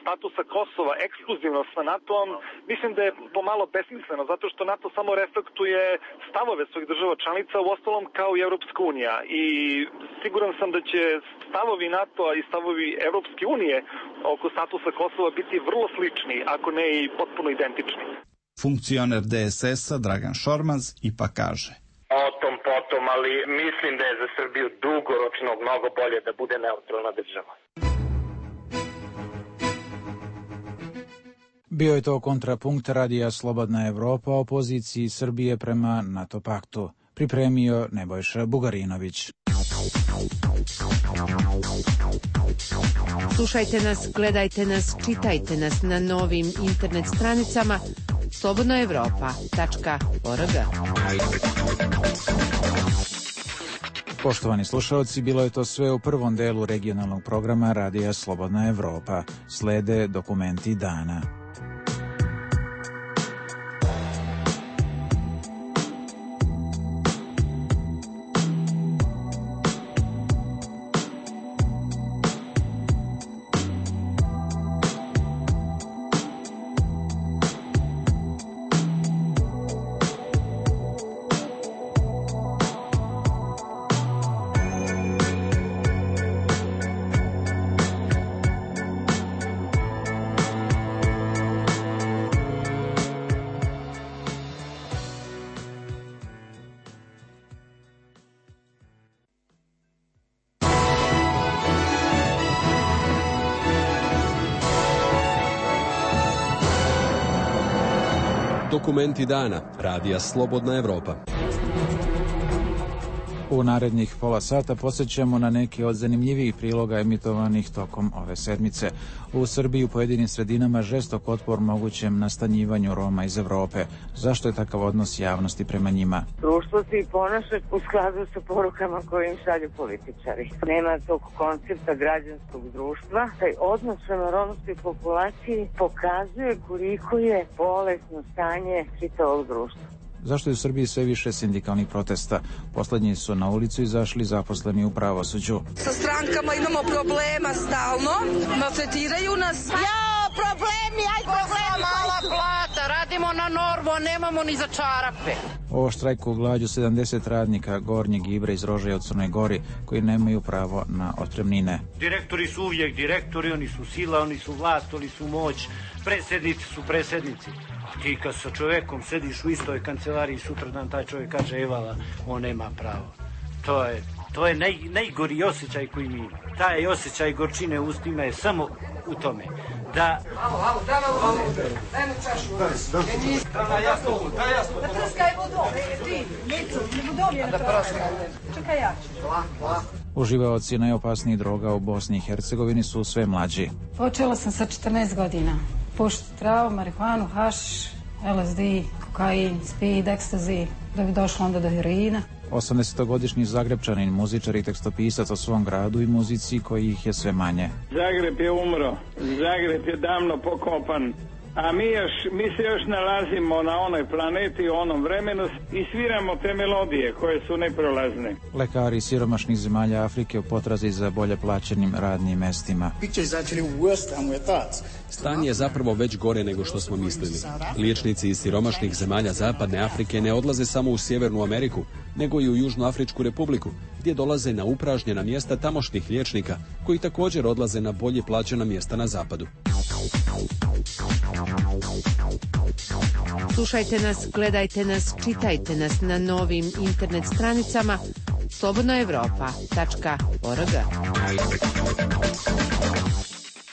statusa Kosova ekskluzivno sa NATO-om, mislim da je pomalo besmisleno, zato što NATO samo reflektuje stavove svojih država članica, u ostalom kao i Evropska unija. I siguran sam da će stavovi NATO-a i stavovi Evropske unije oko statusa Kosova biti vrlo slični, ako ne i potpuno identični. Funkcioner D S S-a Dragan Šormaz ipak kaže: O tom potom, ali mislim da je za Srbiju dugoročno mnogo bolje da bude neutralna država. Bio je to kontrapunkt radija Slobodna Evropa o poziciji Srbije prema NATO paktu. Pripremio Nebojša Bugarinović. Slušajte nas, gledajte nas, čitajte nas na novim internet stranicama slobodna evropa tačka org. Poštovani slušalci, bilo je to sve u prvom delu regionalnog programa Radija Slobodna Evropa. Slede dokumenti dana. Dokumenti dana. Radija Slobodna Evropa. U narednih pola sata posjećamo na neke od zanimljivijih priloga emitovanih tokom ove sedmice. U Srbiji u pojedinim sredinama žestok otpor mogućem nastanjivanju Roma iz Evrope. Zašto je takav odnos javnosti prema njima? Društvo se i ponaša u skladu sa porukama koje im šalju političari. Nema tog koncepta građanskog društva. Taj odnos prema romskoj populaciji pokazuje koliko je bolesno stanje čitavog društva. Zašto je u Srbiji sve više sindikalnih protesta? Poslednji su na ulicu izašli zaposleni u pravosuđu. Sa strankama imamo problema stalno, maltretiraju nas. Ja, problemi, aj problemi. Mala plata, radimo na normu, nemamo ni za čarape. O štrajku glađu sedamdeset radnika Gornjeg Ibra iz Rožaja u Crnoj Gori koji nemaju pravo na otpremnine. Direktori su uvijek direktori, oni su sila, oni su vlast, oni su moć, predsjednici su predsjednici. A ti kad sa čovjekom sediš u istoj kancelariji, sutradan taj čovjek kaže evala, on nema pravo. To je, to je naj, najgori osjećaj koji mi ima. Taj osjećaj gorčine u ustima je samo u tome da... Alo, alo, daj malo vode, daj mu čašu. Daj na jasno, daj jasno. Da prskaj vodom, ti, Micu, vodom je na prskaj. Čekaj ja ću. Uživaoci najopasnijih droga u Bosni i Hercegovini su sve mlađi. Počela sam sa četrnaest godina. Pušiti travu, marihuanu, hašiš, L S D, kokain, speed, ekstazi, da bi došlo onda do heroina. osamdesetogodišnji Zagrebčanin, muzičar i tekstopisac o svom gradu i muzici kojih je sve manje. Zagreb je umro, Zagreb je davno pokopan, a mi, još, mi se još nalazimo na onoj planeti, u onom vremenu i sviramo te melodije koje su neprolazne. Lekari siromašnih zemalja Afrike u potrazi za bolje plaćenim radnim mestima. Stanje je zapravo već gore nego što smo mislili. Liječnici iz siromašnih zemalja Zapadne Afrike ne odlaze samo u Sjevernu Ameriku, nego i u Južnoafričku republiku, gdje dolaze na upražnjena mjesta tamošnjih liječnika, koji također odlaze na bolje plaćena mjesta na zapadu. Slušajte nas, gledajte nas, čitajte nas na novim internet stranicama slobodna evropa tačka org.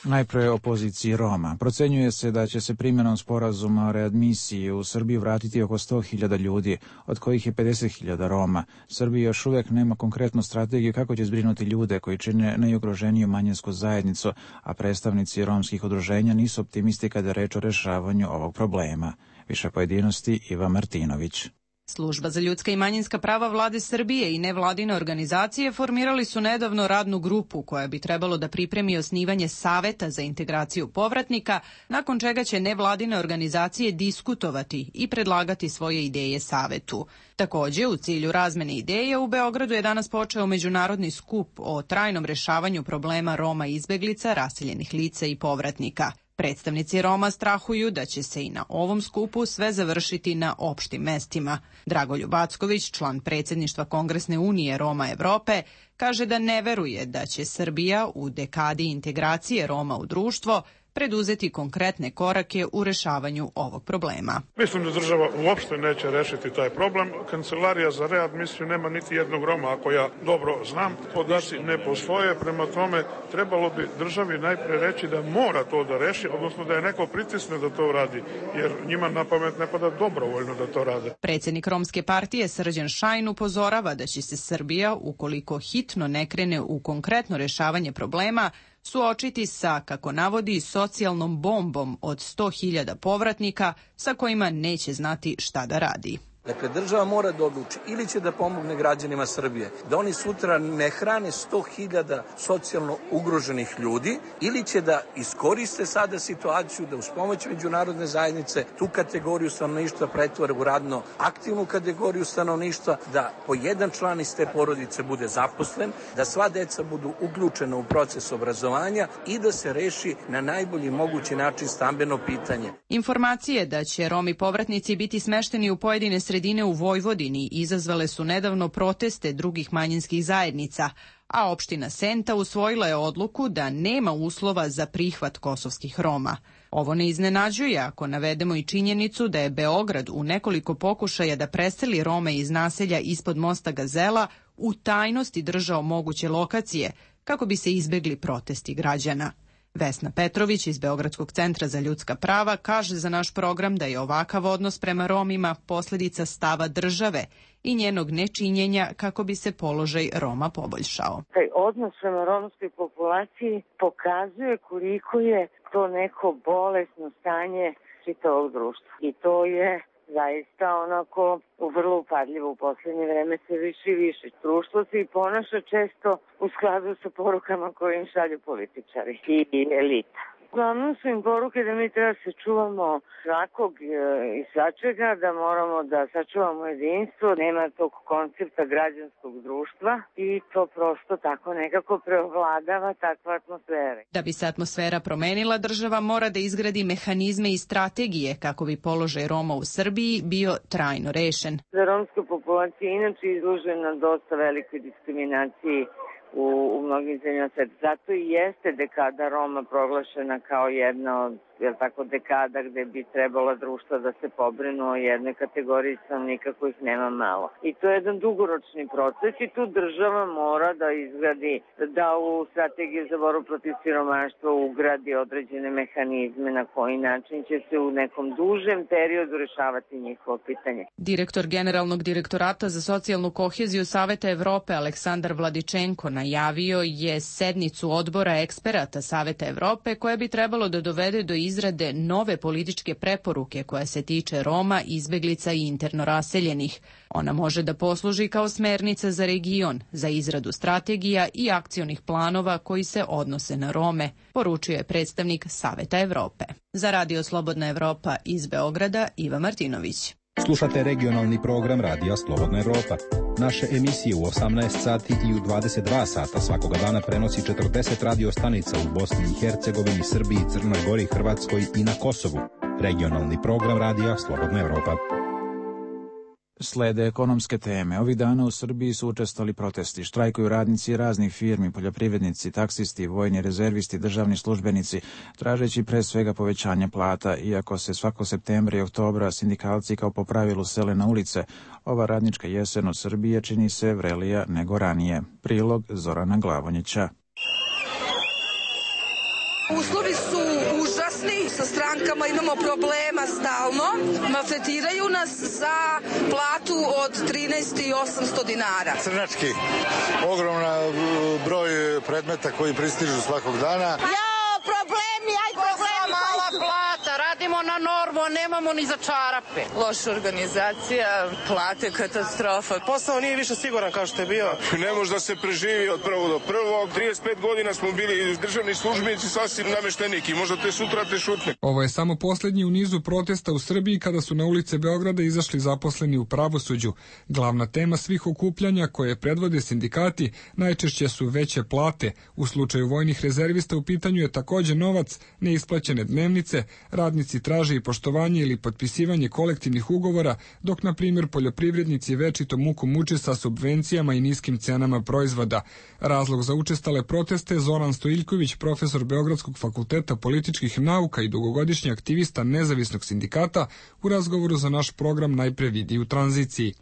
Najpre o poziciji Roma. Procenjuje se da će se primjenom sporazuma o readmisiji u Srbiju vratiti oko sto hiljada ljudi, od kojih je pedeset hiljada Roma. Srbija još uvijek nema konkretnu strategiju kako će zbrinuti ljude koji čine najugroženiju manjinsku zajednicu, a predstavnici romskih udruženja nisu optimisti kada je reč o rešavanju ovog problema. Više pojedinosti Iva Martinović. Služba za ljudska i manjinska prava vlade Srbije i nevladine organizacije formirali su nedavno radnu grupu koja bi trebalo da pripremi osnivanje saveta za integraciju povratnika, nakon čega će nevladine organizacije diskutovati i predlagati svoje ideje savetu. Takođe, u cilju razmene ideja u Beogradu je danas počeo međunarodni skup o trajnom rešavanju problema Roma i izbeglica, raseljenih lica i povratnika. Predstavnici Roma strahuju da će se i na ovom skupu sve završiti na opštim mestima. Dragoljub Acković, član predsjedništva Kongresne unije Roma Evrope, kaže da ne veruje da će Srbija u dekadi integracije Roma u društvo preduzeti konkretne korake u rešavanju ovog problema. Mislim da država uopšte neće rešiti taj problem. Kancelarija za readmisiju nema niti jednog Roma, ako ja dobro znam. Podaci ne postoje, prema tome trebalo bi državi najpre reći da mora to da reši, odnosno da je neko pritisne da to radi, jer njima na pamet ne pada dobrovoljno da to rade. Predsjednik Romske partije Srđan Šajn upozorava da će se Srbija, ukoliko hitno ne krene u konkretno rešavanje problema, suočiti sa, kako navodi, socijalnom bombom od sto hiljada povratnika sa kojima neće znati šta da radi. Dakle, država mora da odluči ili će da pomogne građanima Srbije, da oni sutra ne hrane sto hiljada socijalno ugroženih ljudi, ili će da iskoriste sada situaciju da uz pomoć međunarodne zajednice tu kategoriju stanovništva pretvore u radno aktivnu kategoriju stanovništva, da po jedan član iz te porodice bude zaposlen, da sva deca budu uključena u proces obrazovanja i da se reši na najbolji mogući način stambeno pitanje. Informacije da će Romi povratnici biti smešteni u pojedine sredine u Vojvodini izazvale su nedavno proteste drugih manjinskih zajednica, a opština Senta usvojila je odluku da nema uslova za prihvat kosovskih Roma. Ovo ne iznenađuje ako navedemo i činjenicu da je Beograd u nekoliko pokušaja da preseli Rome iz naselja ispod mosta Gazela u tajnosti držao moguće lokacije kako bi se izbegli protesti građana. Vesna Petrović iz Beogradskog centra za ljudska prava kaže za naš program da je ovakav odnos prema Romima posledica stava države i njenog nečinjenja kako bi se položaj Roma poboljšao. Taj odnos prema romskoj populaciji pokazuje koliko je to neko bolesno stanje čitavog društva. I to je zaista onako vrlo upadljivo u poslednje vreme, sve više i više. Društvo se i ponaša često u skladu sa porukama koje im šalju političari i elita. Uglavnom su im poruke da mi treba se čuvamo svakog i svačega, da moramo da sačuvamo jedinstvo, nema tog koncepta građanskog društva i to prosto tako nekako preovladava takva atmosfera. Da bi se atmosfera promenila, država mora da izgradi mehanizme i strategije kako bi položaj Roma u Srbiji bio trajno rešen. Za romska populacija inače izložena dosta velikoj diskriminaciji u, u mnogim zemljama sveta. Zato i jeste dekada Roma proglašena kao jedna od jel tako, dekada gde bi trebala društva da se pobrinu o jednoj kategoriji stanovnika kojih nema malo. I to je jedan dugoročni proces i tu država mora da izgradi, da u strategiju za borbu protiv siromaštva ugradi određene mehanizme na koji način će se u nekom dužem periodu rešavati njihovo pitanje. Direktor Generalnog direktorata za socijalnu koheziju Saveta Evrope Aleksandar Vladičenko najavio je sednicu odbora eksperata Saveta Evrope koja bi trebalo da dovede do izrade nove političke preporuke koja se tiče Roma, izbeglica i interno raseljenih. Ona može da posluži kao smernica za region, za izradu strategija i akcionih planova koji se odnose na Rome, poručio je predstavnik Saveta Evrope. Za Radio Slobodna Evropa iz Beograda, Iva Martinović. Slušate regionalni program Radija Slobodna Evropa. Naše emisije u osamnaest sati i u dvadeset dva sata svakoga dana prenosi četrdeset radio stanica u Bosni i Hercegovini, Srbiji, Crnoj Gori, Hrvatskoj i na Kosovu. Regionalni program Radija Slobodna Evropa. Slede ekonomske teme. Ovih dana u Srbiji su učestvovali protesti. Štrajkuju radnici raznih firmi, poljoprivrednici, taksisti, vojni rezervisti, državni službenici, tražeći pre svega povećanje plata. Iako se svako septembra i oktobra sindikalci kao po pravilu sele na ulice, ova radnička jesen u Srbiji čini se vrelija nego ranije. Prilog Zorana Glavonjića. Uslovi su užasni, sa strankama imamo problema stalno, maltretiraju nas za platu od trinaest hiljada osamsto dinara. Crnački, ogroman broj predmeta koji pristižu svakog dana. Ja, problemi, aj problemi. Mala plata, radimo na normu, nemamo ni za čarape. Loša organizacija, plate, katastrofa. Posao nije više siguran kao što je bio. Ne može da se preživi od prvog do prvog. trideset pet godina smo bili državni službenici, sasvim namešteniki. Možda te sutra te šutne. Ovo je samo poslednji u nizu protesta u Srbiji kada su na ulice Beograda izašli zaposleni u pravosuđu. Glavna tema svih okupljanja koje predvode sindikati najčešće su veće plate. U slučaju vojnih rezervista u pitanju je takođe novac, neisplaćene dnevnice, radnici traže i poštovanje ili potpisivanje kolektivnih ugovora, dok na primjer poljoprivrednici večito muku muče sa subvencijama i niskim cenama proizvoda. Razlog za učestale proteste Zoran Stojiljković, profesor Beogradskog fakulteta političkih nauka i dugogodišnji aktivista nezavisnog sindikata, u razgovoru za naš program Najpre vidi u tranziciji.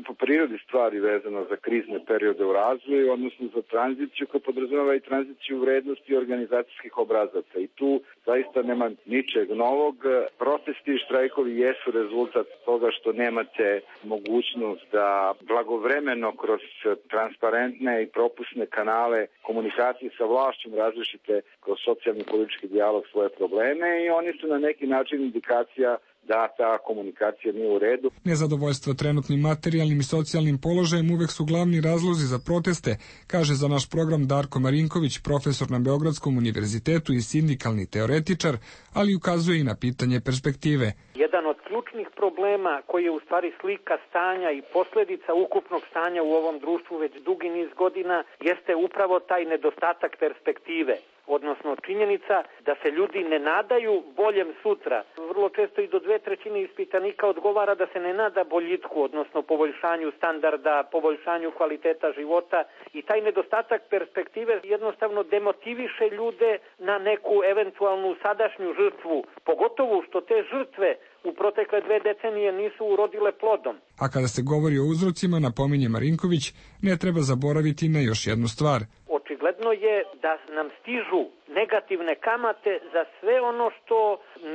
Po prirodi stvari vezano za krizne periode u razvoju, odnosno za tranziciju koja podrazumeva i tranziciju vrednosti organizacijskih obrazaca. I tu zaista nema ničeg novog. Protesti i štrajkovi jesu rezultat toga što nemate mogućnost da blagovremeno kroz transparentne i propusne kanale komunikacije sa vlašćom različite kroz socijalni politički dijalog svoje probleme i oni su na neki način indikacija da ta komunikacija nije u redu. Nezadovoljstvo trenutnim materijalnim i socijalnim položajem uvek su glavni razlozi za proteste, kaže za naš program Darko Marinković, profesor na Beogradskom univerzitetu i sindikalni teoretičar, ali ukazuje i na pitanje perspektive. Jedan od ključnih problema koji je u stvari slika stanja i posljedica ukupnog stanja u ovom društvu već dugi niz godina jeste upravo taj nedostatak perspektive. Odnosno činjenica da se ljudi ne nadaju boljem sutra. Vrlo često i do dve trećine ispitanika odgovara da se ne nada boljitku, odnosno poboljšanju standarda, poboljšanju kvaliteta života i taj nedostatak perspektive jednostavno demotiviše ljude na neku eventualnu sadašnju žrtvu, pogotovo što te žrtve u protekle dve decenije nisu urodile plodom. A kada se govori o uzrocima, napominje Marinković, ne treba zaboraviti na još jednu stvar. Očigledno je da nam stižu negativne kamate za sve ono što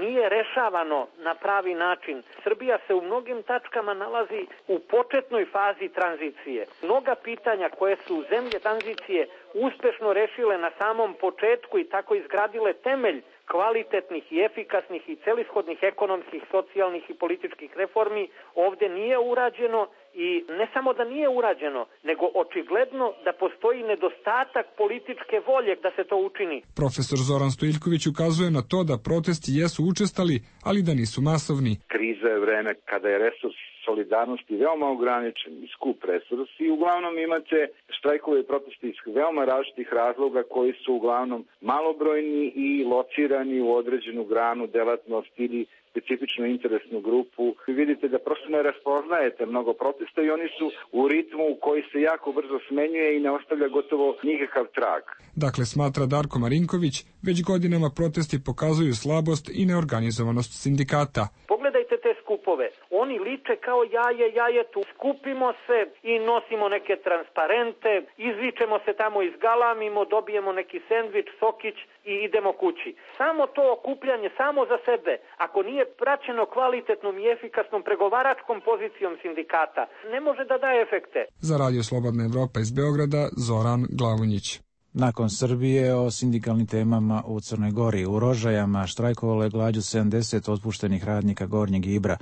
nije rešavano na pravi način. Srbija se u mnogim tačkama nalazi u početnoj fazi tranzicije. Mnoga pitanja koje su zemlje tranzicije uspešno rešile na samom početku i tako izgradile temelj kvalitetnih i efikasnih i celishodnih ekonomskih, socijalnih i političkih reformi ovde nije urađeno i ne samo da nije urađeno, nego očigledno da postoji nedostatak političke volje da se to učini. Profesor Zoran Stojiljković ukazuje na to da protesti jesu učestali, ali da nisu masovni. Kriza je vreme kada je resurs solidarnosti veoma ograničen i skup resurs i uglavnom imate štrajkove i proteste iz veoma različitih razloga koji su uglavnom malobrojni i locirani u određenu granu, delatnosti ili specifičnu interesnu grupu. Vi vidite da prosto ne raspoznajete mnogo protesta i oni su u ritmu koji se jako brzo smenjuje i ne ostavlja gotovo nikakav trag. Dakle, smatra Darko Marinković, već godinama protesti pokazuju slabost i neorganizovanost sindikata. Pogledajte te skupove. Oni liče kao jaje jajetu. Skupimo se i nosimo neke transparente, izvičemo se tamo, izgalamimo, dobijemo neki sendvič, sokić i idemo kući. Samo to okupljanje, samo za sebe, ako nije praćeno kvalitetnom i efikasnom pregovaračkom pozicijom sindikata, ne može da daje efekte. Za Radio Slobodna Evropa iz Beograda, Zoran Glavunjić. Nakon Srbije o sindikalnim temama u Crnoj Gori. U Rožajama štrajkovalo je glađu sedamdeset otpuštenih radnika Gornjeg Ibra,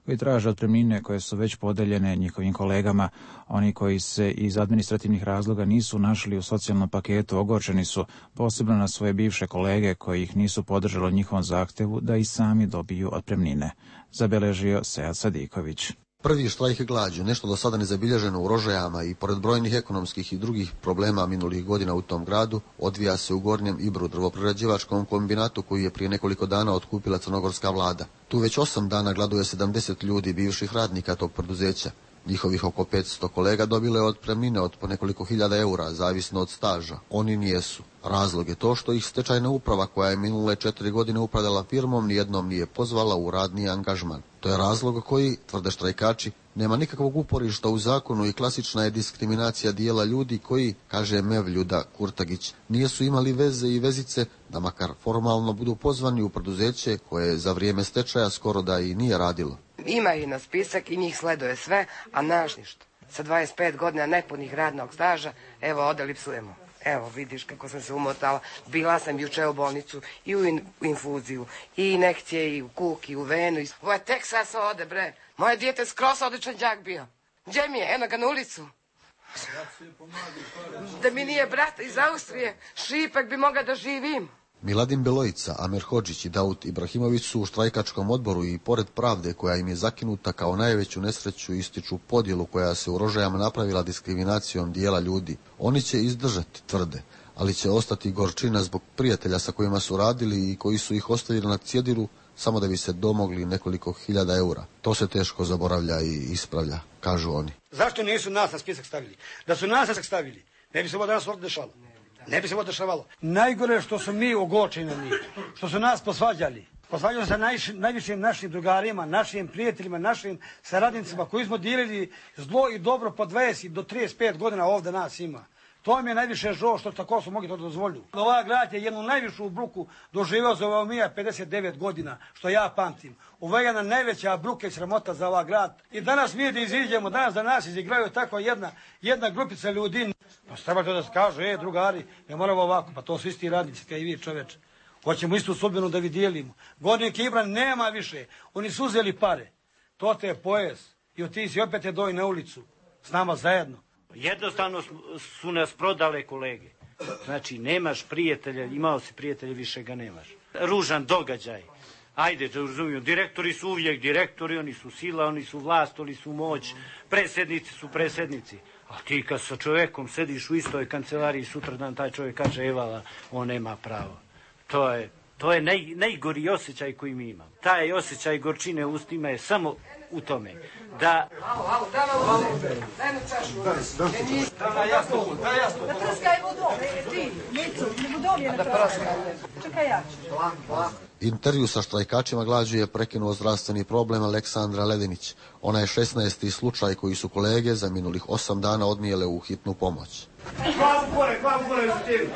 koji traže otpremnine koje su već podeljene njihovim kolegama. Oni koji se iz administrativnih razloga nisu našli u socijalnom paketu ogorčeni su, posebno na svoje bivše kolege koji ih nisu podržali njihovom zahtevu da i sami dobiju otpremnine. Zabeležio Sead Sadiković. Prvi štrajk glađu, nešto do sada nezabilježeno u Rožajama i pored brojnih ekonomskih i drugih problema minulih godina u tom gradu, odvija se u Gornjem Ibru, drvoprerađivačkom kombinatu koji je prije nekoliko dana otkupila crnogorska vlada. Tu već osam dana gladuje sedamdeset ljudi, bivših radnika tog preduzeća. Njihovih oko petsto kolega dobile otpremnine od po nekoliko hiljada eura, zavisno od staža. Oni nijesu. Razlog je to što ih stečajna uprava, koja je minule četiri godine upravljala firmom, nijednom nije pozvala u radni angažman. To je razlog koji, tvrde štrajkači, nema nikakvog uporišta u zakonu i klasična je diskriminacija dijela ljudi koji, kaže Mevljuda Kurtagić, nijesu imali veze i vezice da makar formalno budu pozvani u preduzeće koje za vrijeme stečaja skoro da i nije radilo. Ima i na spisak i njih sleduje sve, a naš ništa. Sa dvadeset pet godina nepunih radnog staža, evo odeli psujemo. Evo vidiš kako sam se umotala. Bila sam juče u bolnicu i u, in, u infuziju, i inekcije, i u kuk, i u venu. I... Ovo je tek sad se ode, bre. Moje dijete skroz odličan đak bio. Gdje mi je? Eno ga na ulicu. Da mi nije brat iz Austrije, šipak bi mogla da živim. Miladin Belojica, Amer Hodžić i Daud Ibrahimović su u štrajkačkom odboru i pored pravde koja im je zakinuta kao najveću nesreću ističu podjelu koja se u Rožajama napravila diskriminacijom dijela ljudi. Oni će izdržati, tvrde, ali će ostati gorčina zbog prijatelja sa kojima su radili i koji su ih ostavili na cjedilu samo da bi se domogli nekoliko hiljada eura. To se teško zaboravlja i ispravlja, kažu oni. Zašto nisu nas na spisak stavili? Da su nas na spisak stavili, ne bi se ovo danas ovdje dešalo. Ne bi se ovo dešavalo. Najgore je što su mi ogorčeni, što su nas posvađali. Posvađali se najviš, najvišim našim drugarima, našim prijateljima, našim saradnicima koji smo dijelili zlo i dobro po dvadeset do trideset pet godina ovdje nas ima. To mi je najviše žao što tako su mogli to dozvoliti. Ova grad je jednu najvišu bruku doživio za ova mija pedeset devet godina, što ja pamtim. Ovo je jedna najveća bruka i sramota za ova grad. I danas mi da iziđemo, danas da nas izigraju tako jedna, jedna grupica ljudi. Pa treba to da se kaže, e, drugari, ne moramo ovako, pa to su isti radnici, kao i vi čoveče. Hoćemo istu sudbinu da dijelimo. Gornjeg Ibra nema više. Oni su uzeli pare. To te je pojas. I od ti si opet je doj na ulicu. S nama zajedno. Jednostavno su nas prodale kolege. Znači, nemaš prijatelja, imao si prijatelja, više ga nemaš. Ružan događaj. Ajde, da razumijem, direktori su uvijek direktori, oni su sila, oni su vlast, oni su moć, predsjednici su predsjednici. A ti kad sa čovjekom sediš u istoj kancelariji, sutradan taj čovjek kaže evala, on nema pravo. To je, to je naj, najgori osjećaj koji mi imamo. Taj osjećaj gorčine u ustima je samo u tome da... Alo, alo, daj malo vode, daj mu čašu. Daj jasno, daj jasno. Da trskaj vodom, ti, Micu, vodom je na trskaj. Čekaj ja ću. Intervju sa štrajkačima glađu je prekinuo zdravstveni problem Aleksandra Ledinić. Ona je šesnaesti slučaj koji su kolege za minulih osam dana odnijele u hitnu pomoć. Glavu gore, glavu gore u tebi.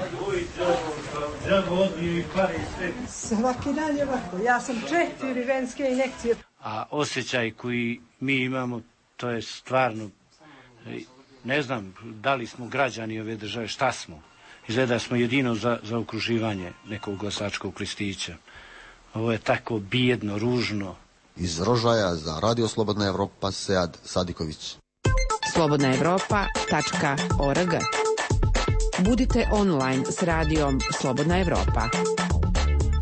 Svaki dan je ovako. Ja sam četiri venske injekcije. A osjećaj koji mi imamo, to je stvarno, ne znam da li smo građani ove države, šta smo. Izgleda smo jedino za, za okruživanje nekog glasačkog listića. Ovo je tako bijedno, ružno. Iz Rožaja za Radio Slobodna Evropa, Sead Sadiković. slobodna evropa tačka org. Budite online s radijom Slobodna Evropa.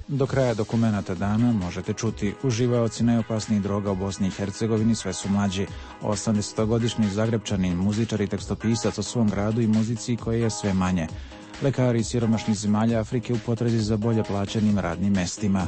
Do kraja dokumenata dana možete čuti: uživaoci najopasnijih droga u Bosni i Hercegovini sve su mlađi. osamdesetogodišnji Zagrebčanin, muzičar i tekstopisac o svom gradu i muzici koje je sve manje. Lekari iz siromašnih zemalja Afrike u potrazi za bolje plaćenim radnim mestima.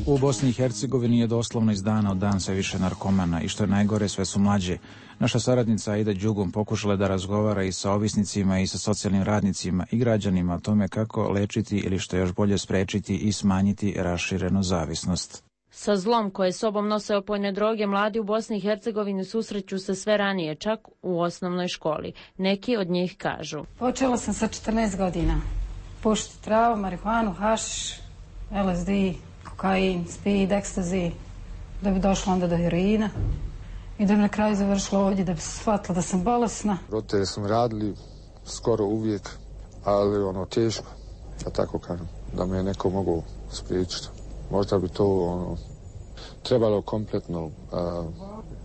U Bosni i Hercegovini je doslovno iz dana u dan sve više narkomana i što je najgore sve su mlađi. Naša saradnica Aida Đugum pokušala da razgovara i sa ovisnicima i sa socijalnim radnicima i građanima o tome kako lečiti ili što još bolje sprečiti i smanjiti raširenu zavisnost. Sa zlom koje sobom nose opojne droge mladi u Bosni i Hercegovini susreću se sve ranije, čak u osnovnoj školi. Neki od njih kažu: počela sam sa četrnaest godina. Pušiti travu, marihuanu, hašiš, L S D, kokain, speed, ekstazi, da bi došla onda do heroina i da bi na kraju završila ovdje, da bi se shvatila da sam bolesna. Roditelji su mi radili skoro uvijek, ali ono teško, da tako kažem, da me neko mogu spriječiti. Možda bi to ono, trebalo kompletno a,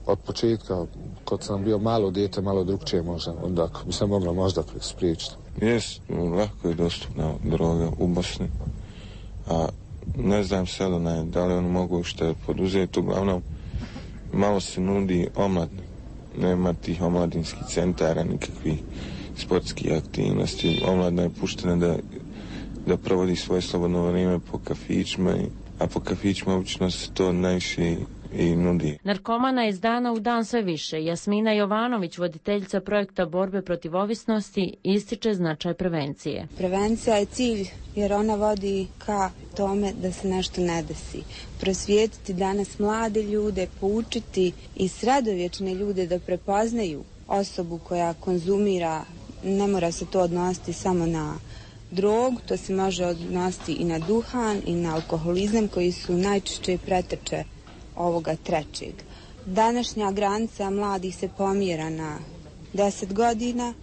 od početka, kad sam bio malo dijete, malo drugčije možda, onda bi se moglo možda spriječiti. Jest, lako je dostupna droga u Bosni, a ne znam sada ne, da li oni mogu što poduzeti, uglavnom malo se nudi omladni, nema tih omladinskih centara, nikakvih sportskih aktivnosti, omladna je puštena da, da provodi svoje slobodno vrijeme po kafićima, a po kafićima obično se to najviše i nudi. Narkomana iz dana u dan sve više. Jasmina Jovanović, voditeljica projekta borbe protiv ovisnosti, ističe značaj prevencije. Prevencija je cilj jer ona vodi ka tome da se nešto ne desi. Prosvijetiti danas mlade ljude, poučiti i sredovječne ljude da prepoznaju osobu koja konzumira, ne mora se to odnositi samo na drogu, to se može odnositi i na duhan i na alkoholizam koji su najčešće preteče ovoga trećeg. Današnja granica mladih se pomjera na deset godina.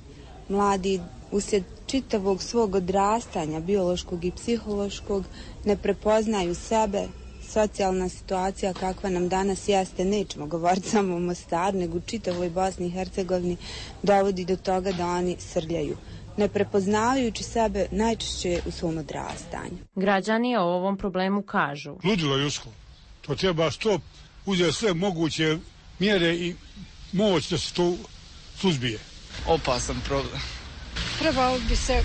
Mladi uslijed čitavog svog odrastanja, biološkog i psihološkog, ne prepoznaju sebe. Socijalna situacija kakva nam danas jeste, nećemo govoriti samo o Mostaru, nego u čitavoj Bosni i Hercegovini, dovodi do toga da oni srljaju, ne prepoznavajući sebe najčešće u svom odrastanju. Građani o ovom problemu kažu: ludilo ljudsko. To treba što uzeti sve moguće mjere i moć da se to suzbije. Opasan problem. Trebalo bi se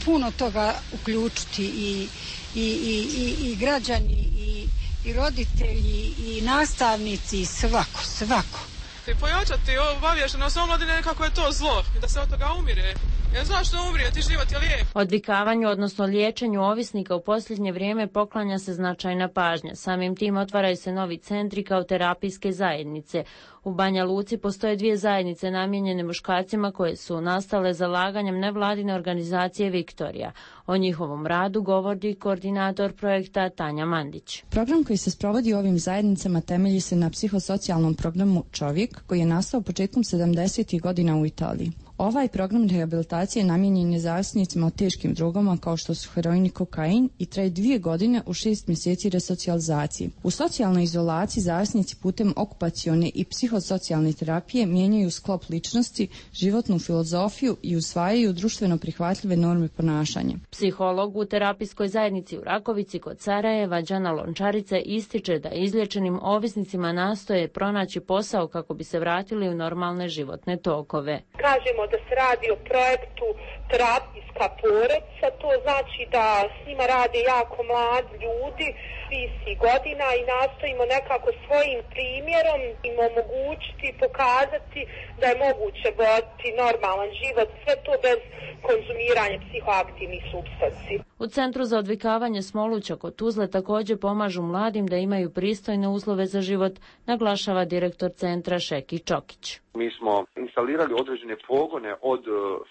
puno toga uključiti i, i, i, i, i građani i, i roditelji i nastavnici i svako, svako. I pojačati obaviještenost omladine kako je to zlo i da se od toga umire. Jer zašto umrijeti, život je lijep. Odvikavanju, odnosno liječenju ovisnika u posljednje vrijeme poklanja se značajna pažnja. Samim tim otvaraju se novi centri kao terapijske zajednice. U Banja Luci postoje dvije zajednice namijenjene muškarcima koje su nastale zalaganjem nevladine organizacije Viktorija. O njihovom radu govori koordinator projekta Tanja Mandić. Program koji se sprovodi u ovim zajednicama temelji se na psihosocijalnom programu Čovjek koji je nastao početkom sedamdesetih godina u Italiji. Ovaj program rehabilitacije namijenjen je zavisnicima o teškim drogama kao što su heroin i kokain i traje dvije godine u šest mjeseci resocijalizacije. U socijalnoj izolaciji zavisnici putem okupacione i psihosocijalne terapije mijenjaju sklop ličnosti, životnu filozofiju i usvajaju društveno prihvatljive norme ponašanja. Psiholog u terapijskoj zajednici u Rakovici kod Sarajeva, Đana Lončarica, ističe da izliječenim ovisnicima nastoje pronaći posao kako bi se vratili u normalne životne tokove. Kažemo da se radi o projektu terapijska porodica, to znači da s njima rade jako mladi ljudi, svih godina i nastojimo nekako svojim primjerom im omogućiti, pokazati da je moguće voditi normalan život, sve to bez konzumiranja psihoaktivnih supstanci. U Centru za odvikavanje Smoluća kod Tuzle također pomažu mladim da imaju pristojne uslove za život, naglašava direktor centra Šeki Čokić. Mi smo instalirali određene pogone od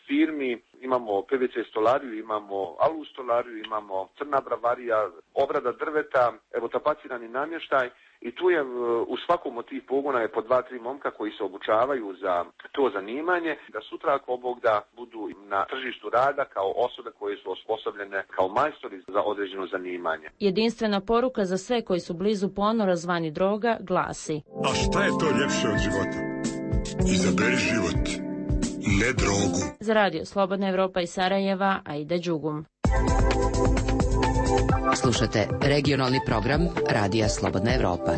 firmi, imamo P V C stolariju, imamo alu stolariju, imamo crna bravarija, obrada drveta, evo tapacirani namještaj i tu je u svakom od tih pogona je po dva, tri momka koji se obučavaju za to zanimanje, da sutra ako Bog da budu na tržištu rada kao osobe koje su osposobljene kao majstori za određeno zanimanje. Jedinstvena poruka za sve koji su blizu ponora zvani droga glasi: a šta je to ljepše od života? Izaberi život, ne drogu. Za Radio Slobodna Evropa iz Sarajeva, Aida Đugum. Slušate regionalni program Radija Slobodna Evropa.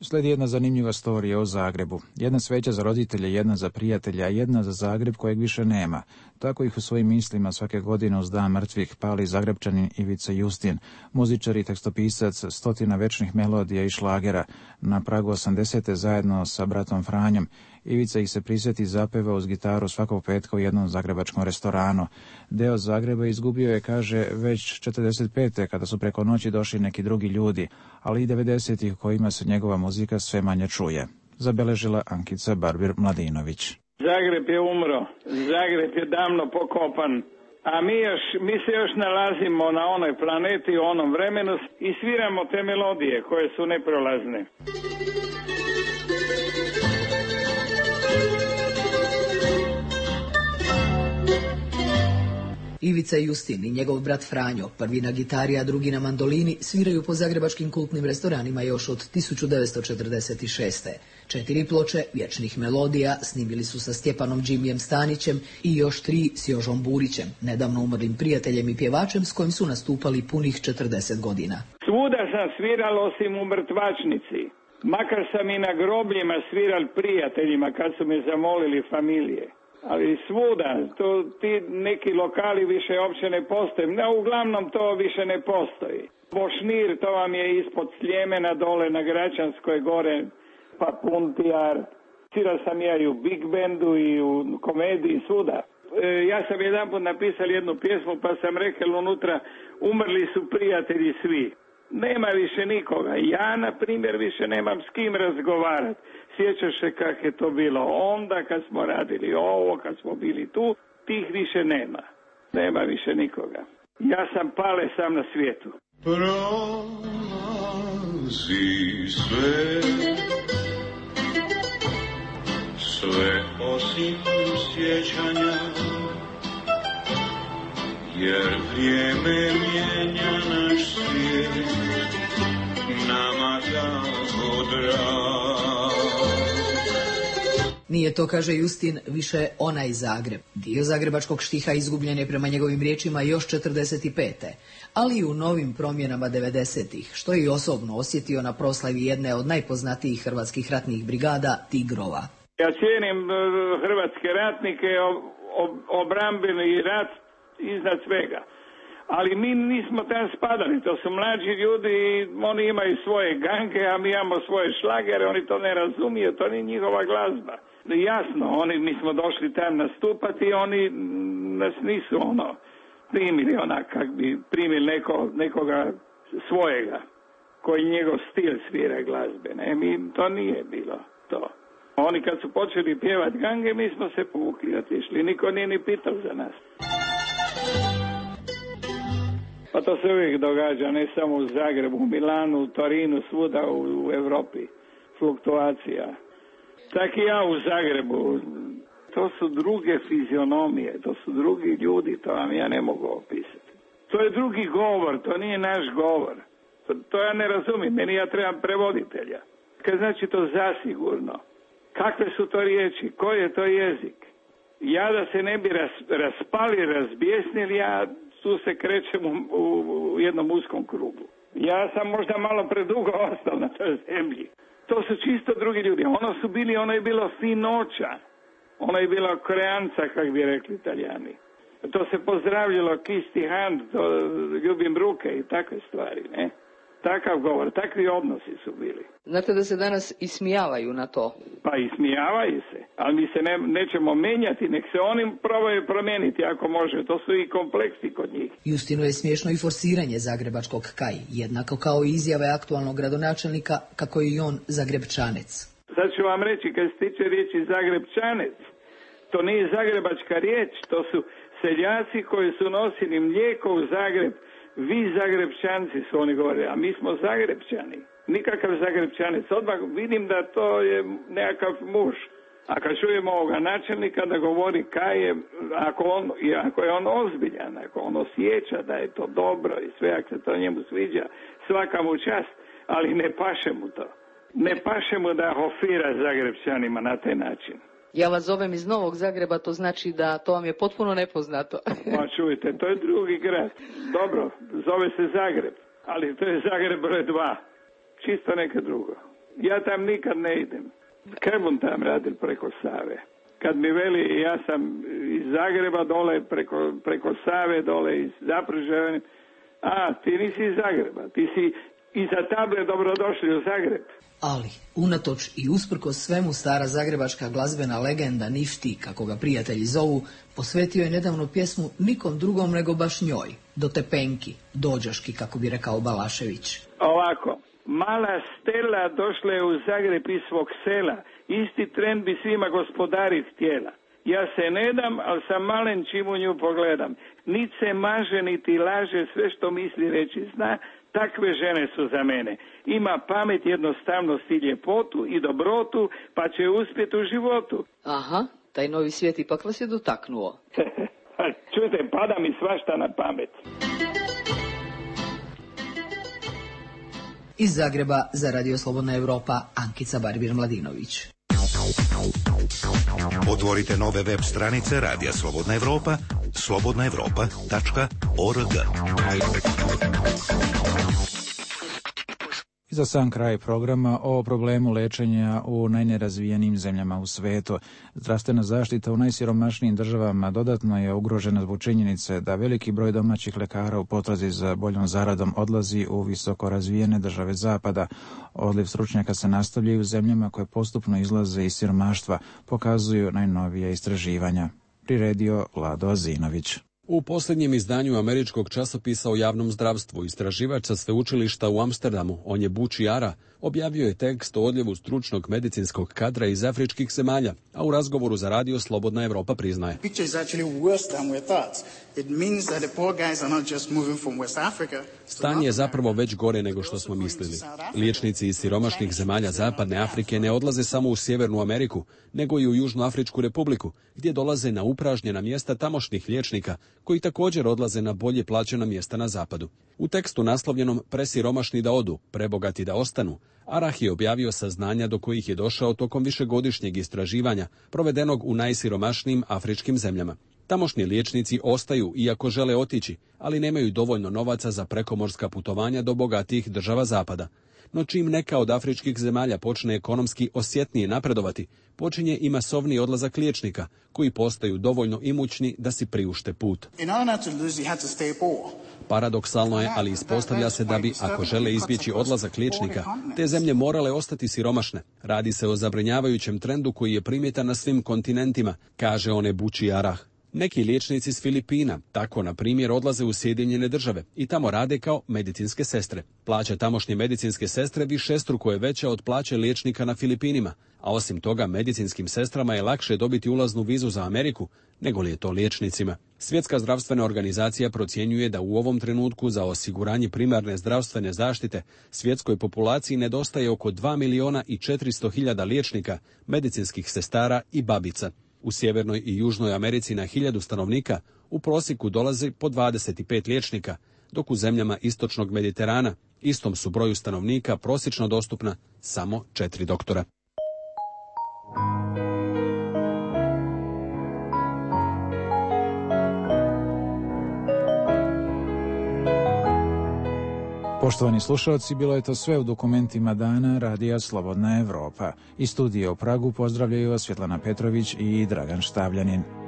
Slijedi jedna zanimljiva storija o Zagrebu. Jedna sveća za roditelje, jedna za prijatelja, a jedna za Zagreb kojeg više nema. Tako ih u svojim mislima svake godine uz Dan mrtvih pali Zagrebčanin Ivica Justin, muzičar i tekstopisac stotina večnih melodija i šlagera. Na pragu osamdesete zajedno sa bratom Franjom, Ivica ih se prisjeti zapeva uz gitaru svakog petka u jednom zagrebačkom restoranu. Deo Zagreba izgubio je, kaže, već četrdeset pete kada su preko noći došli neki drugi ljudi, ali i devedesetih kojima se njegova muzika sve manje čuje. Zabeležila Ankica Barbir-Mladinović. Zagreb je umro, Zagreb je davno pokopan, a mi, još, mi se još nalazimo na onoj planeti, u onom vremenu i sviramo te melodije koje su neprolazne. Ivica Justin i njegov brat Franjo, prvi na gitari, a drugi na mandolini, sviraju po zagrebačkim kultnim restoranima još od tisuću devetsto četrdeset šeste. Četiri ploče vječnih melodija snimili su sa Stjepanom Džimijem Stanićem i još tri s Jožom Burićem, nedavno umrlim prijateljem i pjevačem s kojim su nastupali punih četrdeset godina. Svuda sam sviral osim u mrtvačnici. Makar sam i na grobljima sviral prijateljima kad su me zamolili familije. Ali svuda, to, ti neki lokali više uopće ne postoje. No, uglavnom to više ne postoji. Bošnir, to vam je ispod Sljemena dole na Gračanskoj gore, pa Puntijar. Svirao sam ja i u Big Bandu i u komediji, svuda. E, ja sam jedanput napisao jednu pjesmu pa sam rekao unutra, umrli su prijatelji svi. Nema više nikoga. Ja, na primjer, više nemam s kim razgovarati. Sjećaš se kak je to bilo onda kad smo radili ovo, kad smo bili tu, tih više nema. Nema više nikoga. Ja sam pale sam na svijetu. Prolazi sve, sve osim sjećanja, jer vrijeme mijenja naš svijet, nama tako drag. Nije to, kaže Justin, više onaj Zagreb. Dio zagrebačkog štiha izgubljen je prema njegovim riječima još četrdeset pete. Ali i u novim promjenama devedesetih, što je i osobno osjetio na proslavi jedne od najpoznatijih hrvatskih ratnih brigada, Tigrova. Ja cijenim hrvatske ratnike, obrambeni rat iznad svega. Ali mi nismo tam spadali, to su mlađi ljudi i oni imaju svoje gange, a mi imamo svoje šlagere, oni to ne razumiju, to nije njihova glazba. Jasno, oni, mi smo došli tam nastupati i oni nas nisu ono primili onak kak bi primili neko, nekoga svojega, koji njegov stil svira glazbe. Ne, mi, to nije bilo to. Oni kad su počeli pjevati gange, mi smo se povukli, otišli, niko nije ni pitao za nas. Pa to se uvijek događa, ne samo u Zagrebu, u Milanu, u Torinu, svuda u, u Evropi. Fluktuacija. Tak i ja u Zagrebu. To su druge fizionomije, to su drugi ljudi, to vam ja ne mogu opisati. To je drugi govor, to nije naš govor. To, to ja ne razumijem, meni ja trebam prevoditelja. Kaj znači to zasigurno? Kakve su to riječi? Koji je to jezik? Ja da se ne bi ras, raspali, razbjesnili, ja tu se krećem u, u, u jednom uskom krugu. Ja sam možda malo predugo ostao na toj zemlji. To su čisto drugi ljudi. Ono su bili, ono je bilo finoća. Ono je bilo koreanca, kak bi rekli Italijani. To se pozdravljalo kisti hand, to ljubim ruke i takve stvari, ne? Takav govor, takvi odnosi su bili. Znate da se danas ismijavaju na to? Pa ismijavaju se, ali mi se ne, nećemo menjati, nek se oni probaju promijeniti ako može, to su i kompleksi kod njih. Justinu je smiješno i forsiranje zagrebačkog Kaj, jednako kao i izjave aktualnog gradonačelnika kako je i on Zagrebčanec. Sad ću vam reći, kad se tiče riječi Zagrebčanec, to nije zagrebačka riječ, to su seljaci koji su nosili mlijeko u Zagreb. Vi Zagrebčanci su oni govorili, a mi smo Zagrebčani. Nikakav Zagrebčanec. Odmah vidim da to je nekakav muž. A kad čujemo ovoga načelnika da govori kaj je, ako, on, ako je on ozbiljan, ako on osjeća da je to dobro i sve, ako se to njemu sviđa, svaka mu čast, ali ne paše mu to. Ne paše mu da hofira Zagrebčanima na taj način. Ja vas zovem iz Novog Zagreba, to znači da to vam je potpuno nepoznato. Pa čujte, to je drugi grad. Dobro, zove se Zagreb, ali to je Zagreb broj dva. Čisto neka drugo. Ja tam nikad ne idem. Kebun tam radil preko Save. Kad mi veli, ja sam iz Zagreba dole, preko, preko Save dole, iz Zapružja. A, ti nisi iz Zagreba, ti si iza table dobrodošli u Zagreb. Ali, unatoč i usprkos svemu, stara zagrebačka glazbena legenda Nifti, kako ga prijatelji zovu, posvetio je nedavno pjesmu nikom drugom nego baš njoj, do tepenki, dođaški, kako bi rekao Balašević. Ovako, mala Stela došla je u Zagreb iz svog sela, isti tren bi svima gospodarit htjela. Ja se ne dam, ali sam malen čim u nju pogledam. Nit se maže, niti laže, sve što misli reći zna, takve žene su za mene. Ima pamet, jednostavnost i ljepotu i dobrotu, pa će uspjeti u životu. Aha, taj novi svijet ipak vas je dotaknuo. Čujte, pada mi svašta na pamet. Iz Zagreba za Radio Slobodna Evropa, Ankica Barbir-Mladinović. Otvorite nove web stranice Radija Slobodna Evropa, slobodna evropa tačka org. I za sam kraj programa o problemu lečenja u najnerazvijenijim zemljama u svetu. Zdravstvena zaštita u najsiromašnijim državama dodatno je ugrožena zbog činjenice da veliki broj domaćih lekara u potrazi za boljom zaradom odlazi u visoko razvijene države zapada. Odliv stručnjaka se nastavlja i u zemljama koje postupno izlaze iz siromaštva, pokazuju najnovije istraživanja. Priredio Vlado Azinović. U posljednjem izdanju američkog časopisa o javnom zdravstvu istraživač sa sveučilišta u Amsterdamu, Onyebuchi Ara, objavio je tekst o odljevu stručnog medicinskog kadra iz afričkih zemalja, a u razgovoru za Radio Slobodna Evropa priznaje. Stanje je zapravo već gore nego što smo mislili. Liječnici iz siromašnih zemalja Zapadne Afrike ne odlaze samo u Sjevernu Ameriku, nego i u Južnoafričku republiku, gdje dolaze na upražnjena mjesta tamošnjih liječnika, koji također odlaze na bolje plaćena mjesta na zapadu. U tekstu naslovljenom Presiromašni da odu, prebogati da ostanu, Arah je objavio saznanja do kojih je došao tokom višegodišnjeg istraživanja provedenog u najsiromašnijim afričkim zemljama. Tamošnji liječnici ostaju iako žele otići, ali nemaju dovoljno novaca za prekomorska putovanja do bogatijih država zapada. No čim neka od afričkih zemalja počne ekonomski osjetnije napredovati, počinje i masovni odlazak liječnika, koji postaju dovoljno imućni da si priušte put. Paradoksalno je, ali ispostavlja se da bi, ako žele izbjeći odlazak liječnika, te zemlje morale ostati siromašne. Radi se o zabrinjavajućem trendu koji je primjetan na svim kontinentima, kaže Onyebuchi Arah. Neki liječnici s Filipina tako, na primjer, odlaze u Sjedinjene države i tamo rade kao medicinske sestre. Plaća tamošnje medicinske sestre višestruko je veća od plaće liječnika na Filipinima, a osim toga medicinskim sestrama je lakše dobiti ulaznu vizu za Ameriku nego li je to liječnicima. Svjetska zdravstvena organizacija procjenjuje da u ovom trenutku za osiguranje primarne zdravstvene zaštite svjetskoj populaciji nedostaje oko dva miliona i četiristo hiljada liječnika, medicinskih sestara i babica. U Sjevernoj i Južnoj Americi na hiljadu stanovnika u prosjeku dolazi po dvadeset pet liječnika, dok u zemljama istočnog Mediterana istom su broju stanovnika prosječno dostupna samo četiri doktora. Poštovani slušalci, bilo je to sve u dokumentima dana Radija Slobodna Evropa. Iz studija u Pragu pozdravljaju vas Svjetlana Petrović i Dragan Štavljanin.